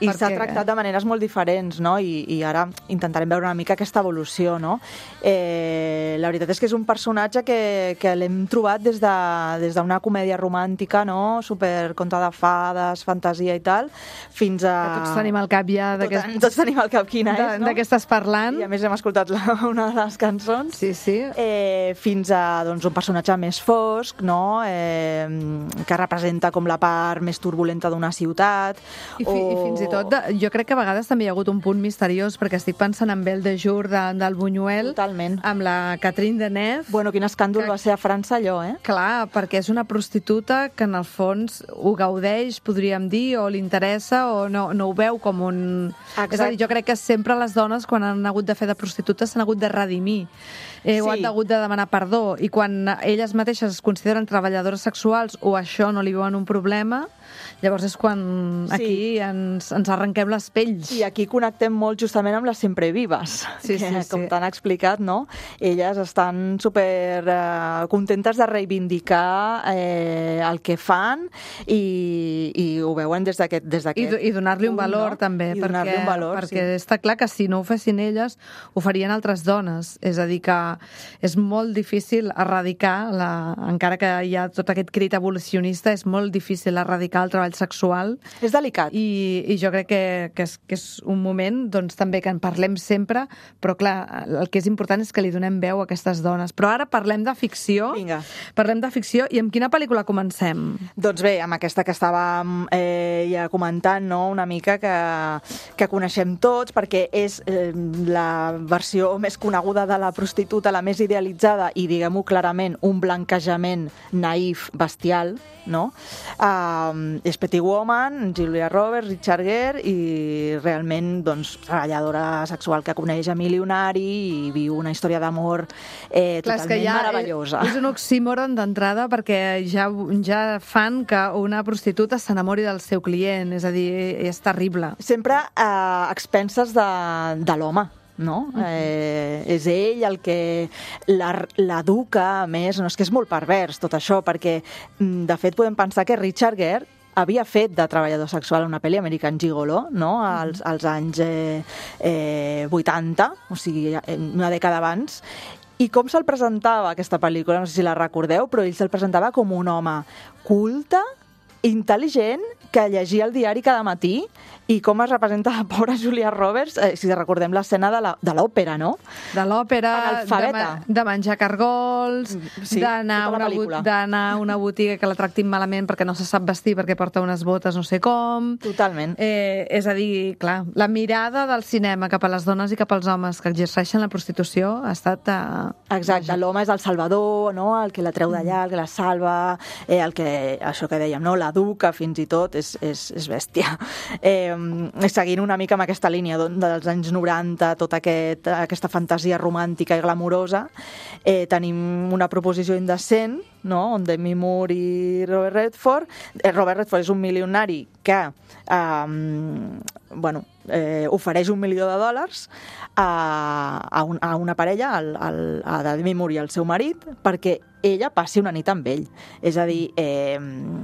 i Per s'ha què? tractat de maneres molt diferents, no? I, i ara intentarem veure una mica aquesta evolució, no? Eh, la veritat és que és un personatge que, que l'hem trobat des de, des d'una comèdia romàntica, no?, super conte de fades, fantasia i tal, fins a... Que tots tenim al cap ja d'aquest... Tot, tots tenim al cap quina és, no? De què estàs parlant? I a més hem escoltat la, una de les cançons. Sí, sí. Eh, fins a doncs, un personatge més fosc, no? Eh, que representa com la part més turbulenta d'una ciutat. I, fi, o... I fins i tot, de, jo crec que a vegades també hi ha hagut un punt misteriós, perquè estic pensant en Belle de Jour de, del Buñuel, Totalment. amb la Catherine Deneuve. Bueno, quin escàndol que... va ser a França allò, eh? Clar, perquè és una prostituta que en el fons ho gaudeix, podríem dir, o li interessa, o no, no ho veu com un... Exacte. És a dir, jo crec que sempre les dones, quan han hagut de fer de prostitutes, s'han hagut de redimir. Eh, sí. O han hagut de demanar perdó. I quan elles mateixes es consideren treballadores sexuals o això no li veuen un problema, llavors és quan aquí sí. ens, ens arrenquem les pells. I aquí connectem molt justament amb les Siempre Vives, sí, que, sí, com sí. t'han explicat, no? Elles estan super eh, contentes de reivindicar eh, el que fan i, i ho veuen des d'aquest des I, i donar-li un valor, no? també, I perquè, un valor, perquè sí. està clar que si no ho fessin elles, ho farien altres dones. És a dir, que és molt difícil erradicar, la, encara que hi ha tot aquest crit evolucionista, és molt difícil erradicar el treball sexual. És delicat. I, i jo crec que, que, és, que és un moment doncs, també que en parlem sempre, però clar, el que és important és que li donem veu a aquestes dones. Però ara parlem de ficció. Vinga. Parlem de ficció, i amb quina pel·lícula comencem? Doncs bé, amb aquesta que estàvem eh, ja comentant, no?, una mica que, que coneixem tots, perquè és eh, la versió més coneguda de la prostituta, la més idealitzada i, diguem-ho clarament, un blanquejament naïf, bestial, no? Uh, és Pretty Woman, Julia Roberts, Richard Gere, i realment, doncs, treballadora sexual que coneix a milionari i viu una història d'amor eh, Clar, totalment ja meravellosa. És un oxímoron d'entrada, perquè ja, ja fan que una prostituta s'enamori del seu client, és a dir, és terrible. Sempre eh, a expenses de, de l'home, no? Uh-huh. Eh, és ell el que l'educa, a més, no, és que és molt pervers tot això, perquè de fet podem pensar que Richard Gere havia fet de treballador sexual a una pel·li, American Gigolo, no? als, als anys eh, eh, vuitanta, o sigui, una dècada abans. I com se'l presentava aquesta pel·lícula? No sé si la recordeu, però ell se'l presentava com un home culte, intel·ligent que llegia el diari cada matí i com es representa la pobra Julia Roberts, eh, si recordem l'escena de l'òpera, no? De l'òpera, de, de menjar cargols, sí, d'anar tota a una, d'anar a una botiga que la tractin malament perquè no se sap vestir, perquè porta unes botes no sé com. Totalment. Eh, és a dir, clar, la mirada del cinema cap a les dones i cap als homes que exerceixen la prostitució ha estat... Eh... Exacte, l'home és el salvador, no? El que la treu d'allà, el que la salva, eh, el que, això que dèiem, no? L'educa fins i tot, és, és, és bèstia. Eh, seguint una mica amb aquesta línia dels anys noranta, tota aquest, aquesta fantasia romàntica i glamurosa, eh, tenim una proposició indecent, no? On Demi Moore i Robert Redford. Eh, Robert Redford és un milionari que eh, bueno, eh, ofereix un milió de dòlars a, a, un, a una parella, al, al, a Demi Moore i al seu marit, perquè ella passi una nit amb ell. És a dir... Eh,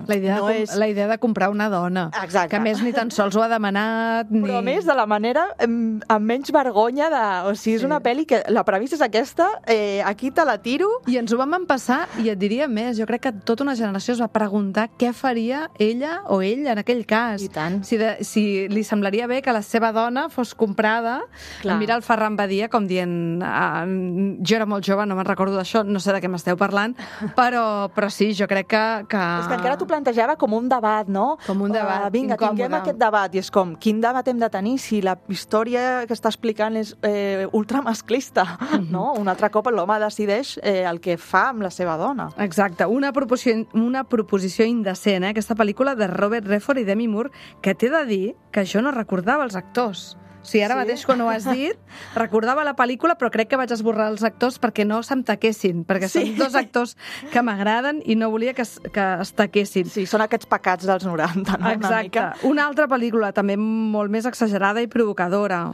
la, idea no de, és... la idea de comprar una dona. Exacte. Que a més ni tan sols ho ha demanat. Ni... Però a més de la manera amb, amb menys vergonya de... O sigui, és sí. una pel·li que la premissa és aquesta, eh, aquí te la tiro... I ens ho vam empassar, i et diria més, jo crec que tota una generació es va preguntar què faria ella o ell en aquell cas. I tant. Si, de, si li semblaria bé que la seva dona fos comprada. Clar. Mira el Ferran Badia com dient ah, jo era molt jove, no me'n recordo d'això, no sé de què m'esteu parlant, però, però sí, jo crec que, que... És que encara t'ho plantejava com un debat, no? Com un debat, uh, vinga, incòmode. Tinguem aquest debat, i és com, quin debat hem de tenir si la història que està explicant és eh, ultramasclista, mm-hmm. no? Un altre cop l'home decideix eh, el que fa amb la seva dona. Exacte, una proposició, una proposició indecent, eh? Aquesta pel·lícula de Robert Redford i Demi Moore, que t'he de dir que jo no recordava els actors. O sigui, ara sí? mateix, quan ho has dit, recordava la pel·lícula, però crec que vaig esborrar els actors perquè no se'm taquessin, perquè sí. són dos actors que m'agraden i no volia que es, que es taquessin. Sí, són aquests pecats dels noranta, no? Exacte. Una mica. Una altra pel·lícula, també molt més exagerada i provocadora.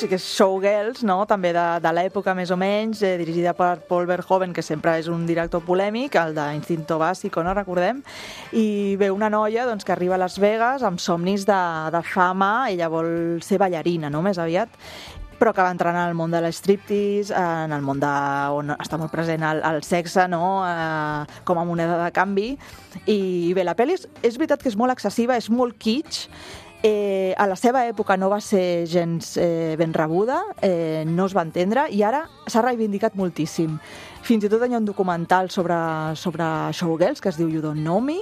Que és Showgirls, no? També de, de l'època més o menys, eh, dirigida per Paul Verhoeven, que sempre és un director polèmic, el d'Instinto Básico, no recordem, i ve una noia doncs, que arriba a Las Vegas amb somnis de, de fama, ella vol ser ballarina, no? Més aviat, però que va entrar en el món de l'striptease, en el món de, on està molt present el, el sexe, no? eh, com a moneda de canvi, i bé, la pel·li és, és veritat que és molt excessiva, és molt kitsch. Eh, a la seva època no va ser gens eh, ben rebuda, eh, no es va entendre, i ara s'ha reivindicat moltíssim. Fins i tot hi ha un documental sobre, sobre Showgirls que es diu You Don't Know Me,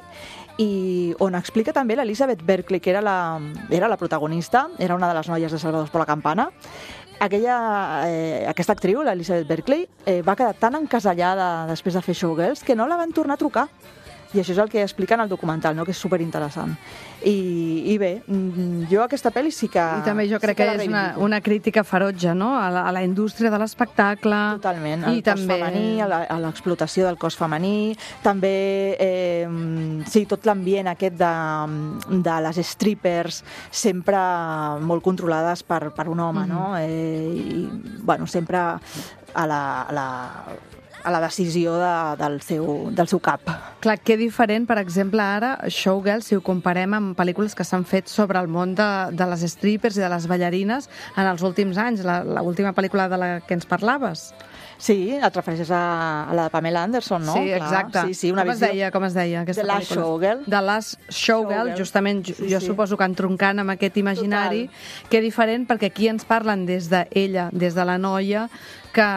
i on explica també l'Elizabeth Berkley, que era la, era la protagonista, era una de les noies de Salvadors per la Campana. Aquella, eh, aquesta actriu, l'Elizabeth Berkley, eh, va quedar tan encasellada després de fer Showgirls que no la van tornar a trucar. I això és el que explica en el documental, no? Que és superinteressant. I, I bé, jo aquesta pel·li sí que... I també jo crec sí que, que és una, una crítica ferotge, no? A la, a la indústria de l'espectacle. Totalment, al I cos també... femení, a l'explotació del cos femení, també, eh, sí, tot l'ambient aquest de, de les strippers sempre molt controlades per, per un home, mm-hmm. no? Eh, I, bueno, sempre a la... A la a la decisió de, del, seu, del seu cap. Clar, que diferent, per exemple, ara, Showgirls, si ho comparem amb pel·lícules que s'han fet sobre el món de, de les strippers i de les ballarines en els últims anys, l'última pel·lícula de la que ens parlaves. Sí, et refereixes a, a la de Pamela Anderson, no? Sí, exacte. Clar. Sí, sí, una com, visió... es deia, com es deia aquesta The Last pel·lícula? Showgirl. The Last Showgirl, Showgirl. justament, sí, jo sí. suposo que entroncant amb aquest imaginari, Total. que diferent, perquè aquí ens parlen des d'ella, des de la noia, que,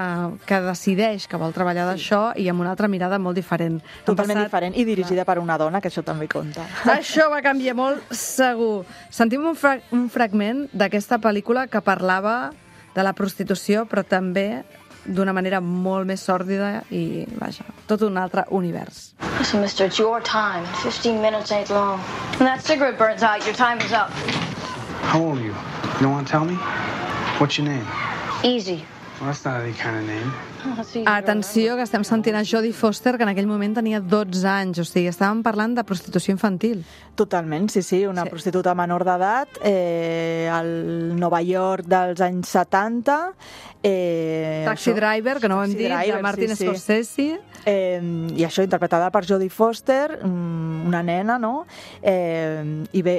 que decideix que vol treballar sí. d'això i amb una altra mirada molt diferent. Totalment passat... diferent, i dirigida per una dona, que això també compta. Això va canviar molt, segur. Sentim un, fra un fragment d'aquesta pel·lícula que parlava de la prostitució, però també d'una manera molt més sòrdida i, vaja, tot un altre univers. Listen, mister, it's your time. fifteen minutes ain't long. When that cigarette burns out, your time is up. How old are you? You don't want to tell me? What's your name? Easy. Well, that's not any kind of name. Atenció, que estem sentint a Jodie Foster, que en aquell moment tenia dotze anys, o sigui, estàvem parlant de prostitució infantil. Totalment, sí, sí, una sí. prostituta menor d'edat, eh, al Nova York dels anys setanta. Eh, Taxi això, Driver, que no ho hem dit, driver, de Martin sí, Scorsese. Sí. Eh, I això, interpretada per Jodie Foster, una nena, no? Eh, I bé,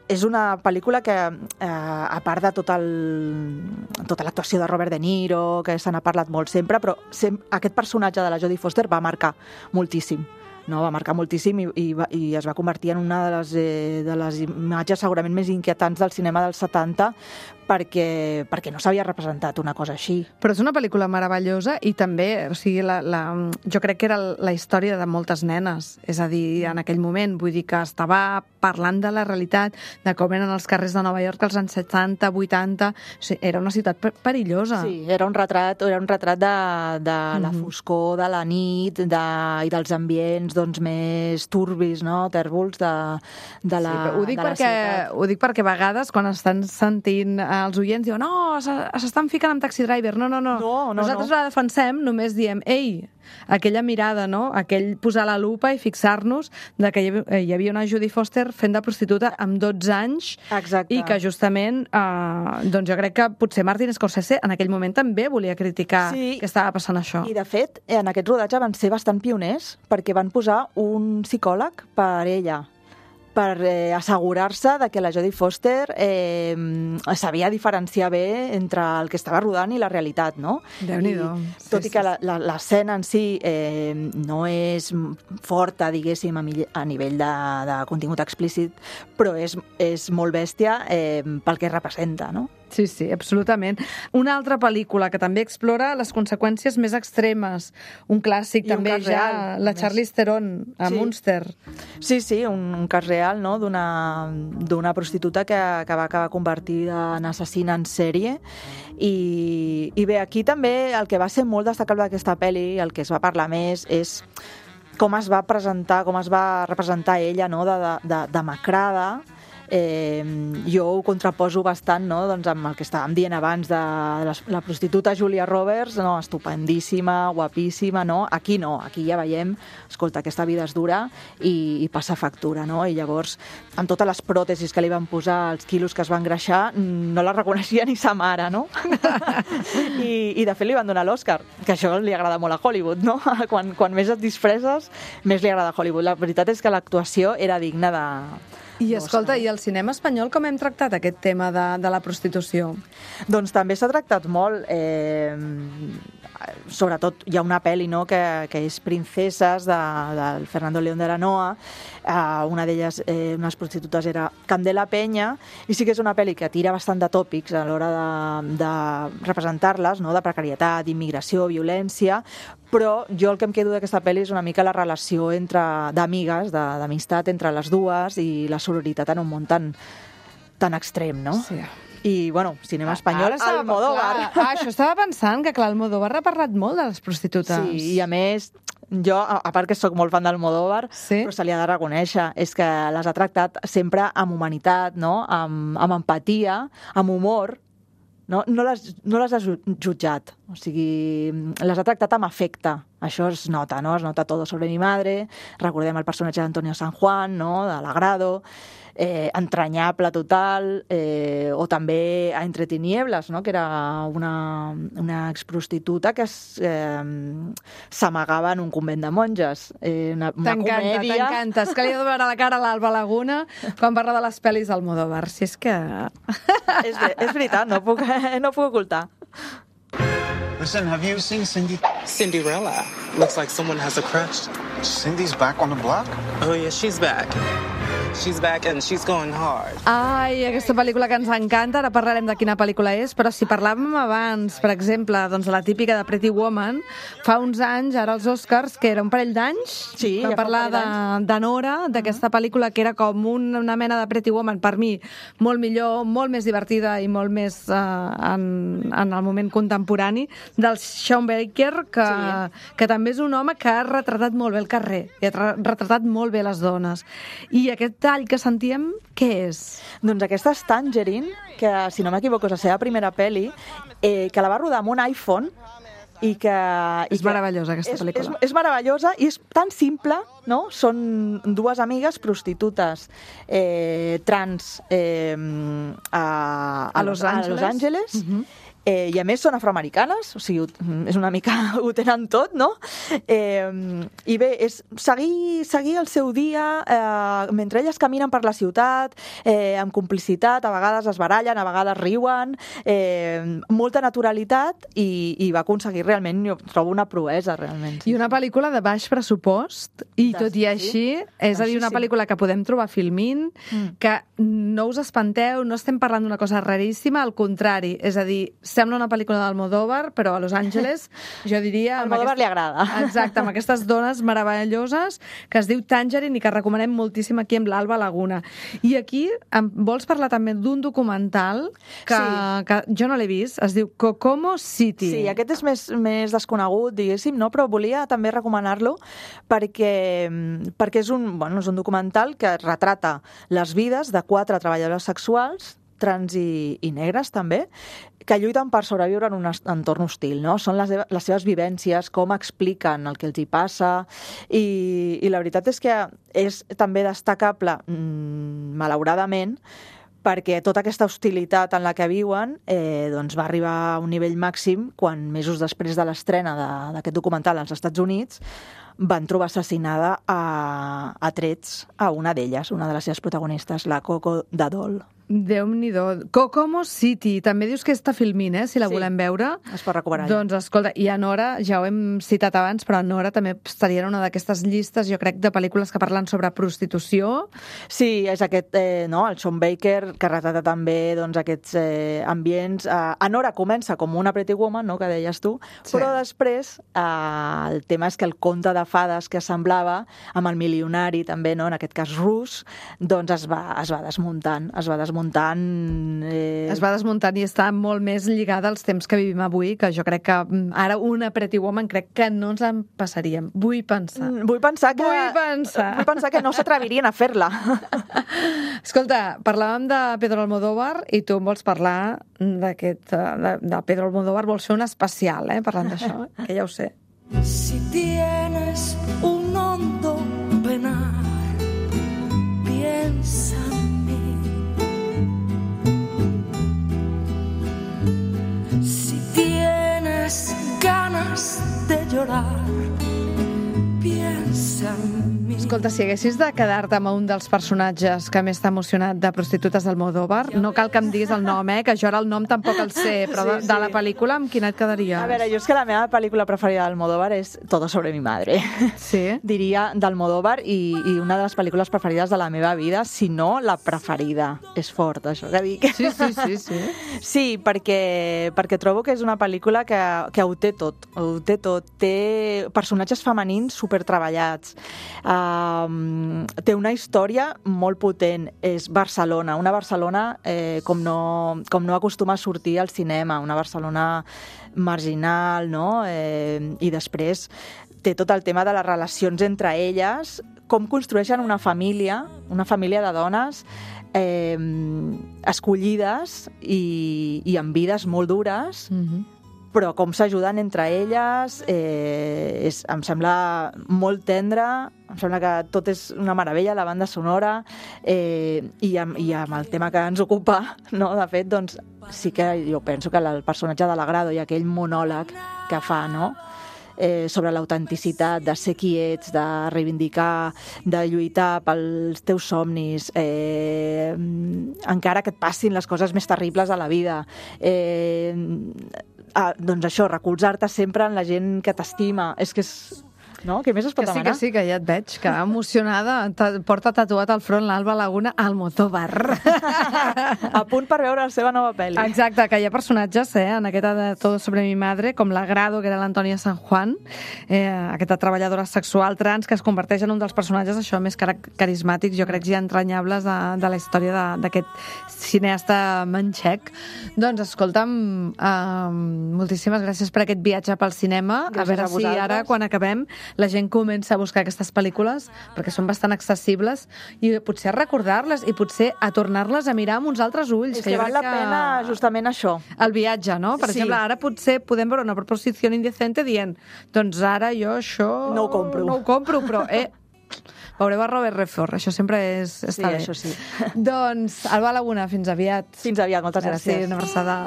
és una pel·lícula que, eh, a part de tot el, tota l'actuació de Robert De Niro, que se n'ha parlat molt sempre, però sem aquest personatge de la Jodie Foster va marcar moltíssim. No, va marcar moltíssim i, i, va, i es va convertir en una de les, eh, de les imatges segurament més inquietants del cinema dels setanta, perquè, perquè no s'havia representat una cosa així. Però és una pel·lícula meravellosa i també, o sigui, la, la, jo crec que era la història de moltes nenes, és a dir, en aquell moment, vull dir que estava parlant de la realitat, de com eren els carrers de Nova York als anys setanta, vuitanta, o sigui, era una ciutat perillosa. Sí, era un retrat, era un retrat de, de la foscor, de la nit de, i dels ambients doncs, més turbis, no? Tèrbols de, de la, sí, ho dic de la perquè, ciutat. Ho dic perquè a vegades, quan estan sentint els oients, diuen, no, s'estan ficant amb Taxi Driver. No, no, no. no, no Nosaltres no. la defensem, només diem, ei, aquella mirada, no? Aquell posar la lupa i fixar-nos de que hi havia una Jodie Foster fent de prostituta amb dotze anys. Exacte. I que justament, eh, doncs jo crec que potser Martin Scorsese en aquell moment també volia criticar sí. que estava passant això. I de fet, en aquest rodatge van ser bastant pioners perquè van posar un psicòleg per ella, per eh, assegurar-se de que la Jodie Foster eh, sabia diferenciar bé entre el que estava rodant i la realitat, no? Déu-n'hi-do. I, tot sí, i que sí. l'escena en si eh, no és forta, diguéssim, a nivell de, de contingut explícit, però és, és molt bèstia eh, pel que representa, no? Sí, sí, absolutament. Una altra pel·lícula que també explora les conseqüències més extremes. Un clàssic I també un ja, real, la Charlize Theron, a sí. Munster. Sí, sí, un, un cas real, no?, d'una prostituta que, que va acabar convertida en assassina en sèrie. I, I bé, aquí també el que va ser molt destacable d'aquesta pel·li, el que es va parlar més, és com es va presentar, com es va representar ella, no?, de, de, de demacrada. Eh, jo ho contraposo bastant, no?, doncs amb el que estàvem dient abans de la, la prostituta Julia Roberts, no?, estupendíssima, guapíssima, no? Aquí no, aquí ja veiem, escolta, aquesta vida és dura i, i passa factura, no? I llavors, amb totes les pròtesis que li van posar, els quilos que es van engreixar, no la reconeixia ni sa mare, no? I, i de fet li van donar l'Oscar, que això li agrada molt a Hollywood, no? Quan, quan més et disfresses, més li agrada a Hollywood. La veritat és que l'actuació era digna de... I escolta, i el cinema espanyol com hem tractat aquest tema de, de la prostitució? Doncs també s'ha tractat molt. Eh, sobretot hi ha una pel·li, no?, que, que és Princeses, de, del Fernando León de la Noa. Eh, una d'elles, eh, unes prostitutes, era Candela Peña, i sí que és una pel·li que tira bastant de tòpics a l'hora de, de representar-les, no?, de precarietat, d'immigració, violència, però jo el que em quedo d'aquesta pel·li és una mica la relació entre d'amigues, d'amistat entre les dues i la sororitat en un món tan, tan extrem, no? Sí. I, bueno, cinema espanyol, ah, Almodóvar. Ah, això estava pensant, que clar, Almodóvar ha parlat molt de les prostitutes. Sí, i a més, jo, a part que sóc molt fan d'Almodóvar, sí? però se li ha de reconèixer, és que les ha tractat sempre amb humanitat, no?, amb, amb empatia, amb humor. No, no, les, no les ha jutjat, o sigui, les ha tractat amb afecte. Això es nota, no? Es nota Todo sobre mi madre, recordem el personatge d'Antonio San Juan, no?, de l'Agrado, eh, entranyable total, eh, o també a Entre tinieblas, no?, que era una, una exprostituta que eh, s'amagava en un convent de monges. Eh, una una comèdia... T'encanta, és que li ha de veure la cara a l'Alba Laguna quan parla de les pel·lis d'Almodóvar, si és que... és, és veritat, no puc, no puc ocultar. Listen, have you seen Cindy? Cinderella. Looks like someone has a crush. Cindy's back on the block? Oh, yeah, she's back. She's back and she's going hard. Ai, aquesta pel·lícula que ens encanta, ara parlarem de quina pel·lícula és, però si parlàvem abans, per exemple, doncs la típica de Pretty Woman, fa uns anys, ara els Oscars, que era un parell d'anys, sí, vam ja parlar de, de Nora, d'aquesta pel·lícula que era com una mena de Pretty Woman, per mi, molt millor, molt més divertida i molt més eh, en, en el moment contemporani, del Sean Baker, que, sí. que també és un home que ha retratat molt bé el carrer, i ha retratat molt bé les dones. I aquest tall que sentíem, què és? Doncs aquesta és Tangerine, que, si no m'equivoco, és la seva primera pel·li, eh, que la va rodar amb un iPhone, i que... És i que meravellosa, aquesta és, pel·lícula. És, és meravellosa i és tan simple, no? Són dues amigues prostitutes eh, trans eh, a, a, A Los a Angeles. Los Angeles. Mhm. Eh, I a més són afroamericanes, o sigui, ho- és una mica, ho tenen tot, no? Eh, I bé, és seguir, seguir el seu dia eh, mentre elles caminen per la ciutat, eh, amb complicitat, a vegades es barallen, a vegades riuen, eh, molta naturalitat i, i va aconseguir realment, jo trobo una proesa, realment. I una pel·lícula de baix pressupost, i De- tot i així, és a dir, Així una sí. pel·lícula que podem trobar a Filmin, Mm. que no us espanteu, no estem parlant d'una cosa raríssima, al contrari, és a dir, sembla una pel·lícula d'Almodóvar, però a Los Angeles, jo diria... amb Almodóvar aquest- li agrada. Exacte, amb aquestes dones meravelloses que es diu Tangerine i que recomanem moltíssim aquí amb l'Alba Laguna. I aquí em vols parlar també d'un documental que, Sí. que jo no l'he vist, es diu Kokomo City. Sí, aquest és més, més desconegut, diguéssim, no? Però volia també recomanar-lo perquè, perquè és, un, bueno, és un documental que retrata les vides de quatre treballadores sexuals, trans i, i negres també, que lluiten per sobreviure en un est- entorn hostil, no? Són les, les seves vivències, com expliquen el que els hi passa, i, i la veritat és que és també destacable, mmm, malauradament, perquè tota aquesta hostilitat en la que viuen eh, doncs va arribar a un nivell màxim quan, mesos després de l'estrena de- d'aquest documental als Estats Units, van trobar assassinada a, a trets a una d'elles, una de les seves protagonistes, la Coco Dadol. Déu-n'hi-do. Kokomo City. També dius que està Filmin, eh? Si la Sí. volem veure. Es pot recuperar ja. Doncs, escolta, i a Nora, ja ho hem citat abans, però a Nora també estaria en una d'aquestes llistes, jo crec, de pel·lícules que parlen sobre prostitució. Sí, és aquest, eh, no?, el Sean Baker, que retrata també doncs, aquests eh, ambients. Eh, Anora comença com una Pretty Woman, no?, que deies tu, Sí. però després eh, el tema és que el conte de fades que semblava, amb el milionari també, no?, en aquest cas rus, doncs es va, es va desmuntant, es va desmuntant... Eh... Es va desmuntant i està molt més lligada als temps que vivim avui, que jo crec que mm, ara una Pretty Woman crec que no ens en passaríem. Vull pensar. Mm, Vull pensar que... Vull pensar. Vull pensar que no s'atrevirien a fer-la. Escolta, parlàvem de Pedro Almodóvar i tu em vols parlar d'aquest... De, de Pedro Almodóvar, vols fer un especial, eh, parlant d'això, que ja ho sé. Si tienes un hondo penar, piensa en mí. Si tienes ganas de llorar, piensa en mí. Escolta, si haguessis de quedar-te amb un dels personatges que més t'ha emocionat de Prostitutes d'Almodóvar, no cal que em diguis el nom, eh, que jo ara el nom tampoc el sé, però de, Sí, sí. de la pel·lícula amb quina et quedaries? A veure, jo és que la meva pel·lícula preferida d'Almodóvar és Todo sobre mi madre. Sí? Diria d'Almodóvar i, i una de les pel·lícules preferides de la meva vida, si no la preferida. És fort, això que dic. Sí, sí, sí, sí. Sí, perquè, perquè trobo que és una pel·lícula que, que ho té tot, ho té tot. Té personatges femenins supertreballats, um, té una història molt potent, és Barcelona, una Barcelona eh, com, no, com no acostuma a sortir al cinema, una Barcelona marginal, no? Eh, I després té tot el tema de les relacions entre elles, com construeixen una família, una família de dones eh, escollides i, i amb vides molt dures, Mm-hmm. però com s'ajuden entre elles, eh, és, em sembla molt tendre, em sembla que tot és una meravella, la banda sonora, eh, i, amb, i amb el tema que ens ocupa, no? De fet, doncs, sí que jo penso que el personatge de l'Agrado i aquell monòleg que fa, no?, Eh, sobre l'autenticitat, de ser qui ets, de reivindicar, de lluitar pels teus somnis, eh, encara que et passin les coses més terribles a la vida. Eh, ah, doncs això, recolzar-te sempre en la gent que t'estima. És que és... No? Què més es pot Que sí, demanar? que sí, que ja et veig, que emocionada, ta- porta tatuat al front l'Alba Laguna Almodóvar. A punt per veure la seva nova pel·li. Exacte, que hi ha personatges, eh, en aquesta de Todo sobre mi madre, com l'Agrado, que era l'Antònia San Juan, eh, aquesta treballadora sexual trans que es converteix en un dels personatges això més car carismàtics, jo crec, i entranyables de, de la història de- d'aquest cineasta manxec. Doncs, escolta'm, eh, moltíssimes gràcies per aquest viatge pel cinema. Gràcies a veure a si vosaltres. ara, quan acabem, la gent comença a buscar aquestes pel·lícules perquè són bastant accessibles i potser a recordar-les i potser a tornar-les a mirar amb uns altres ulls. És que, que val la que... pena justament això. El viatge, no? Per sí. exemple, ara potser podem veure una proposició indecente dient doncs ara jo això... No ho compro. No ho compro, però eh, veureu a Robert Redford, això sempre és, està sí, bé. Això sí. Doncs, Alba Laguna, fins aviat. Fins aviat, moltes gràcies. Sí, una abraçada.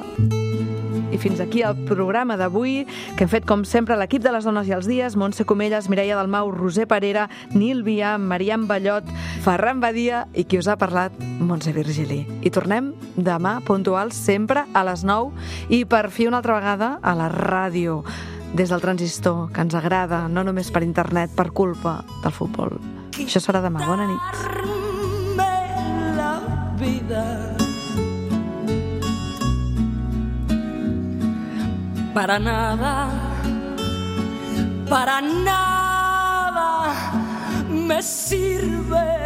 I fins aquí el programa d'avui, que hem fet, com sempre, l'equip de les Dones i els Dies, Montse Comelles, Mireia Dalmau, Roser Parera, Nil Via, Mariam Ballot, Ferran Badia i qui us ha parlat, Montse Virgili. I tornem demà, puntuals, sempre a les nou i per fi una altra vegada a la ràdio, des del transistor, que ens agrada, no només per internet, per culpa del futbol. Això serà demà. Bona nit. La vida. Para nada, para nada me sirve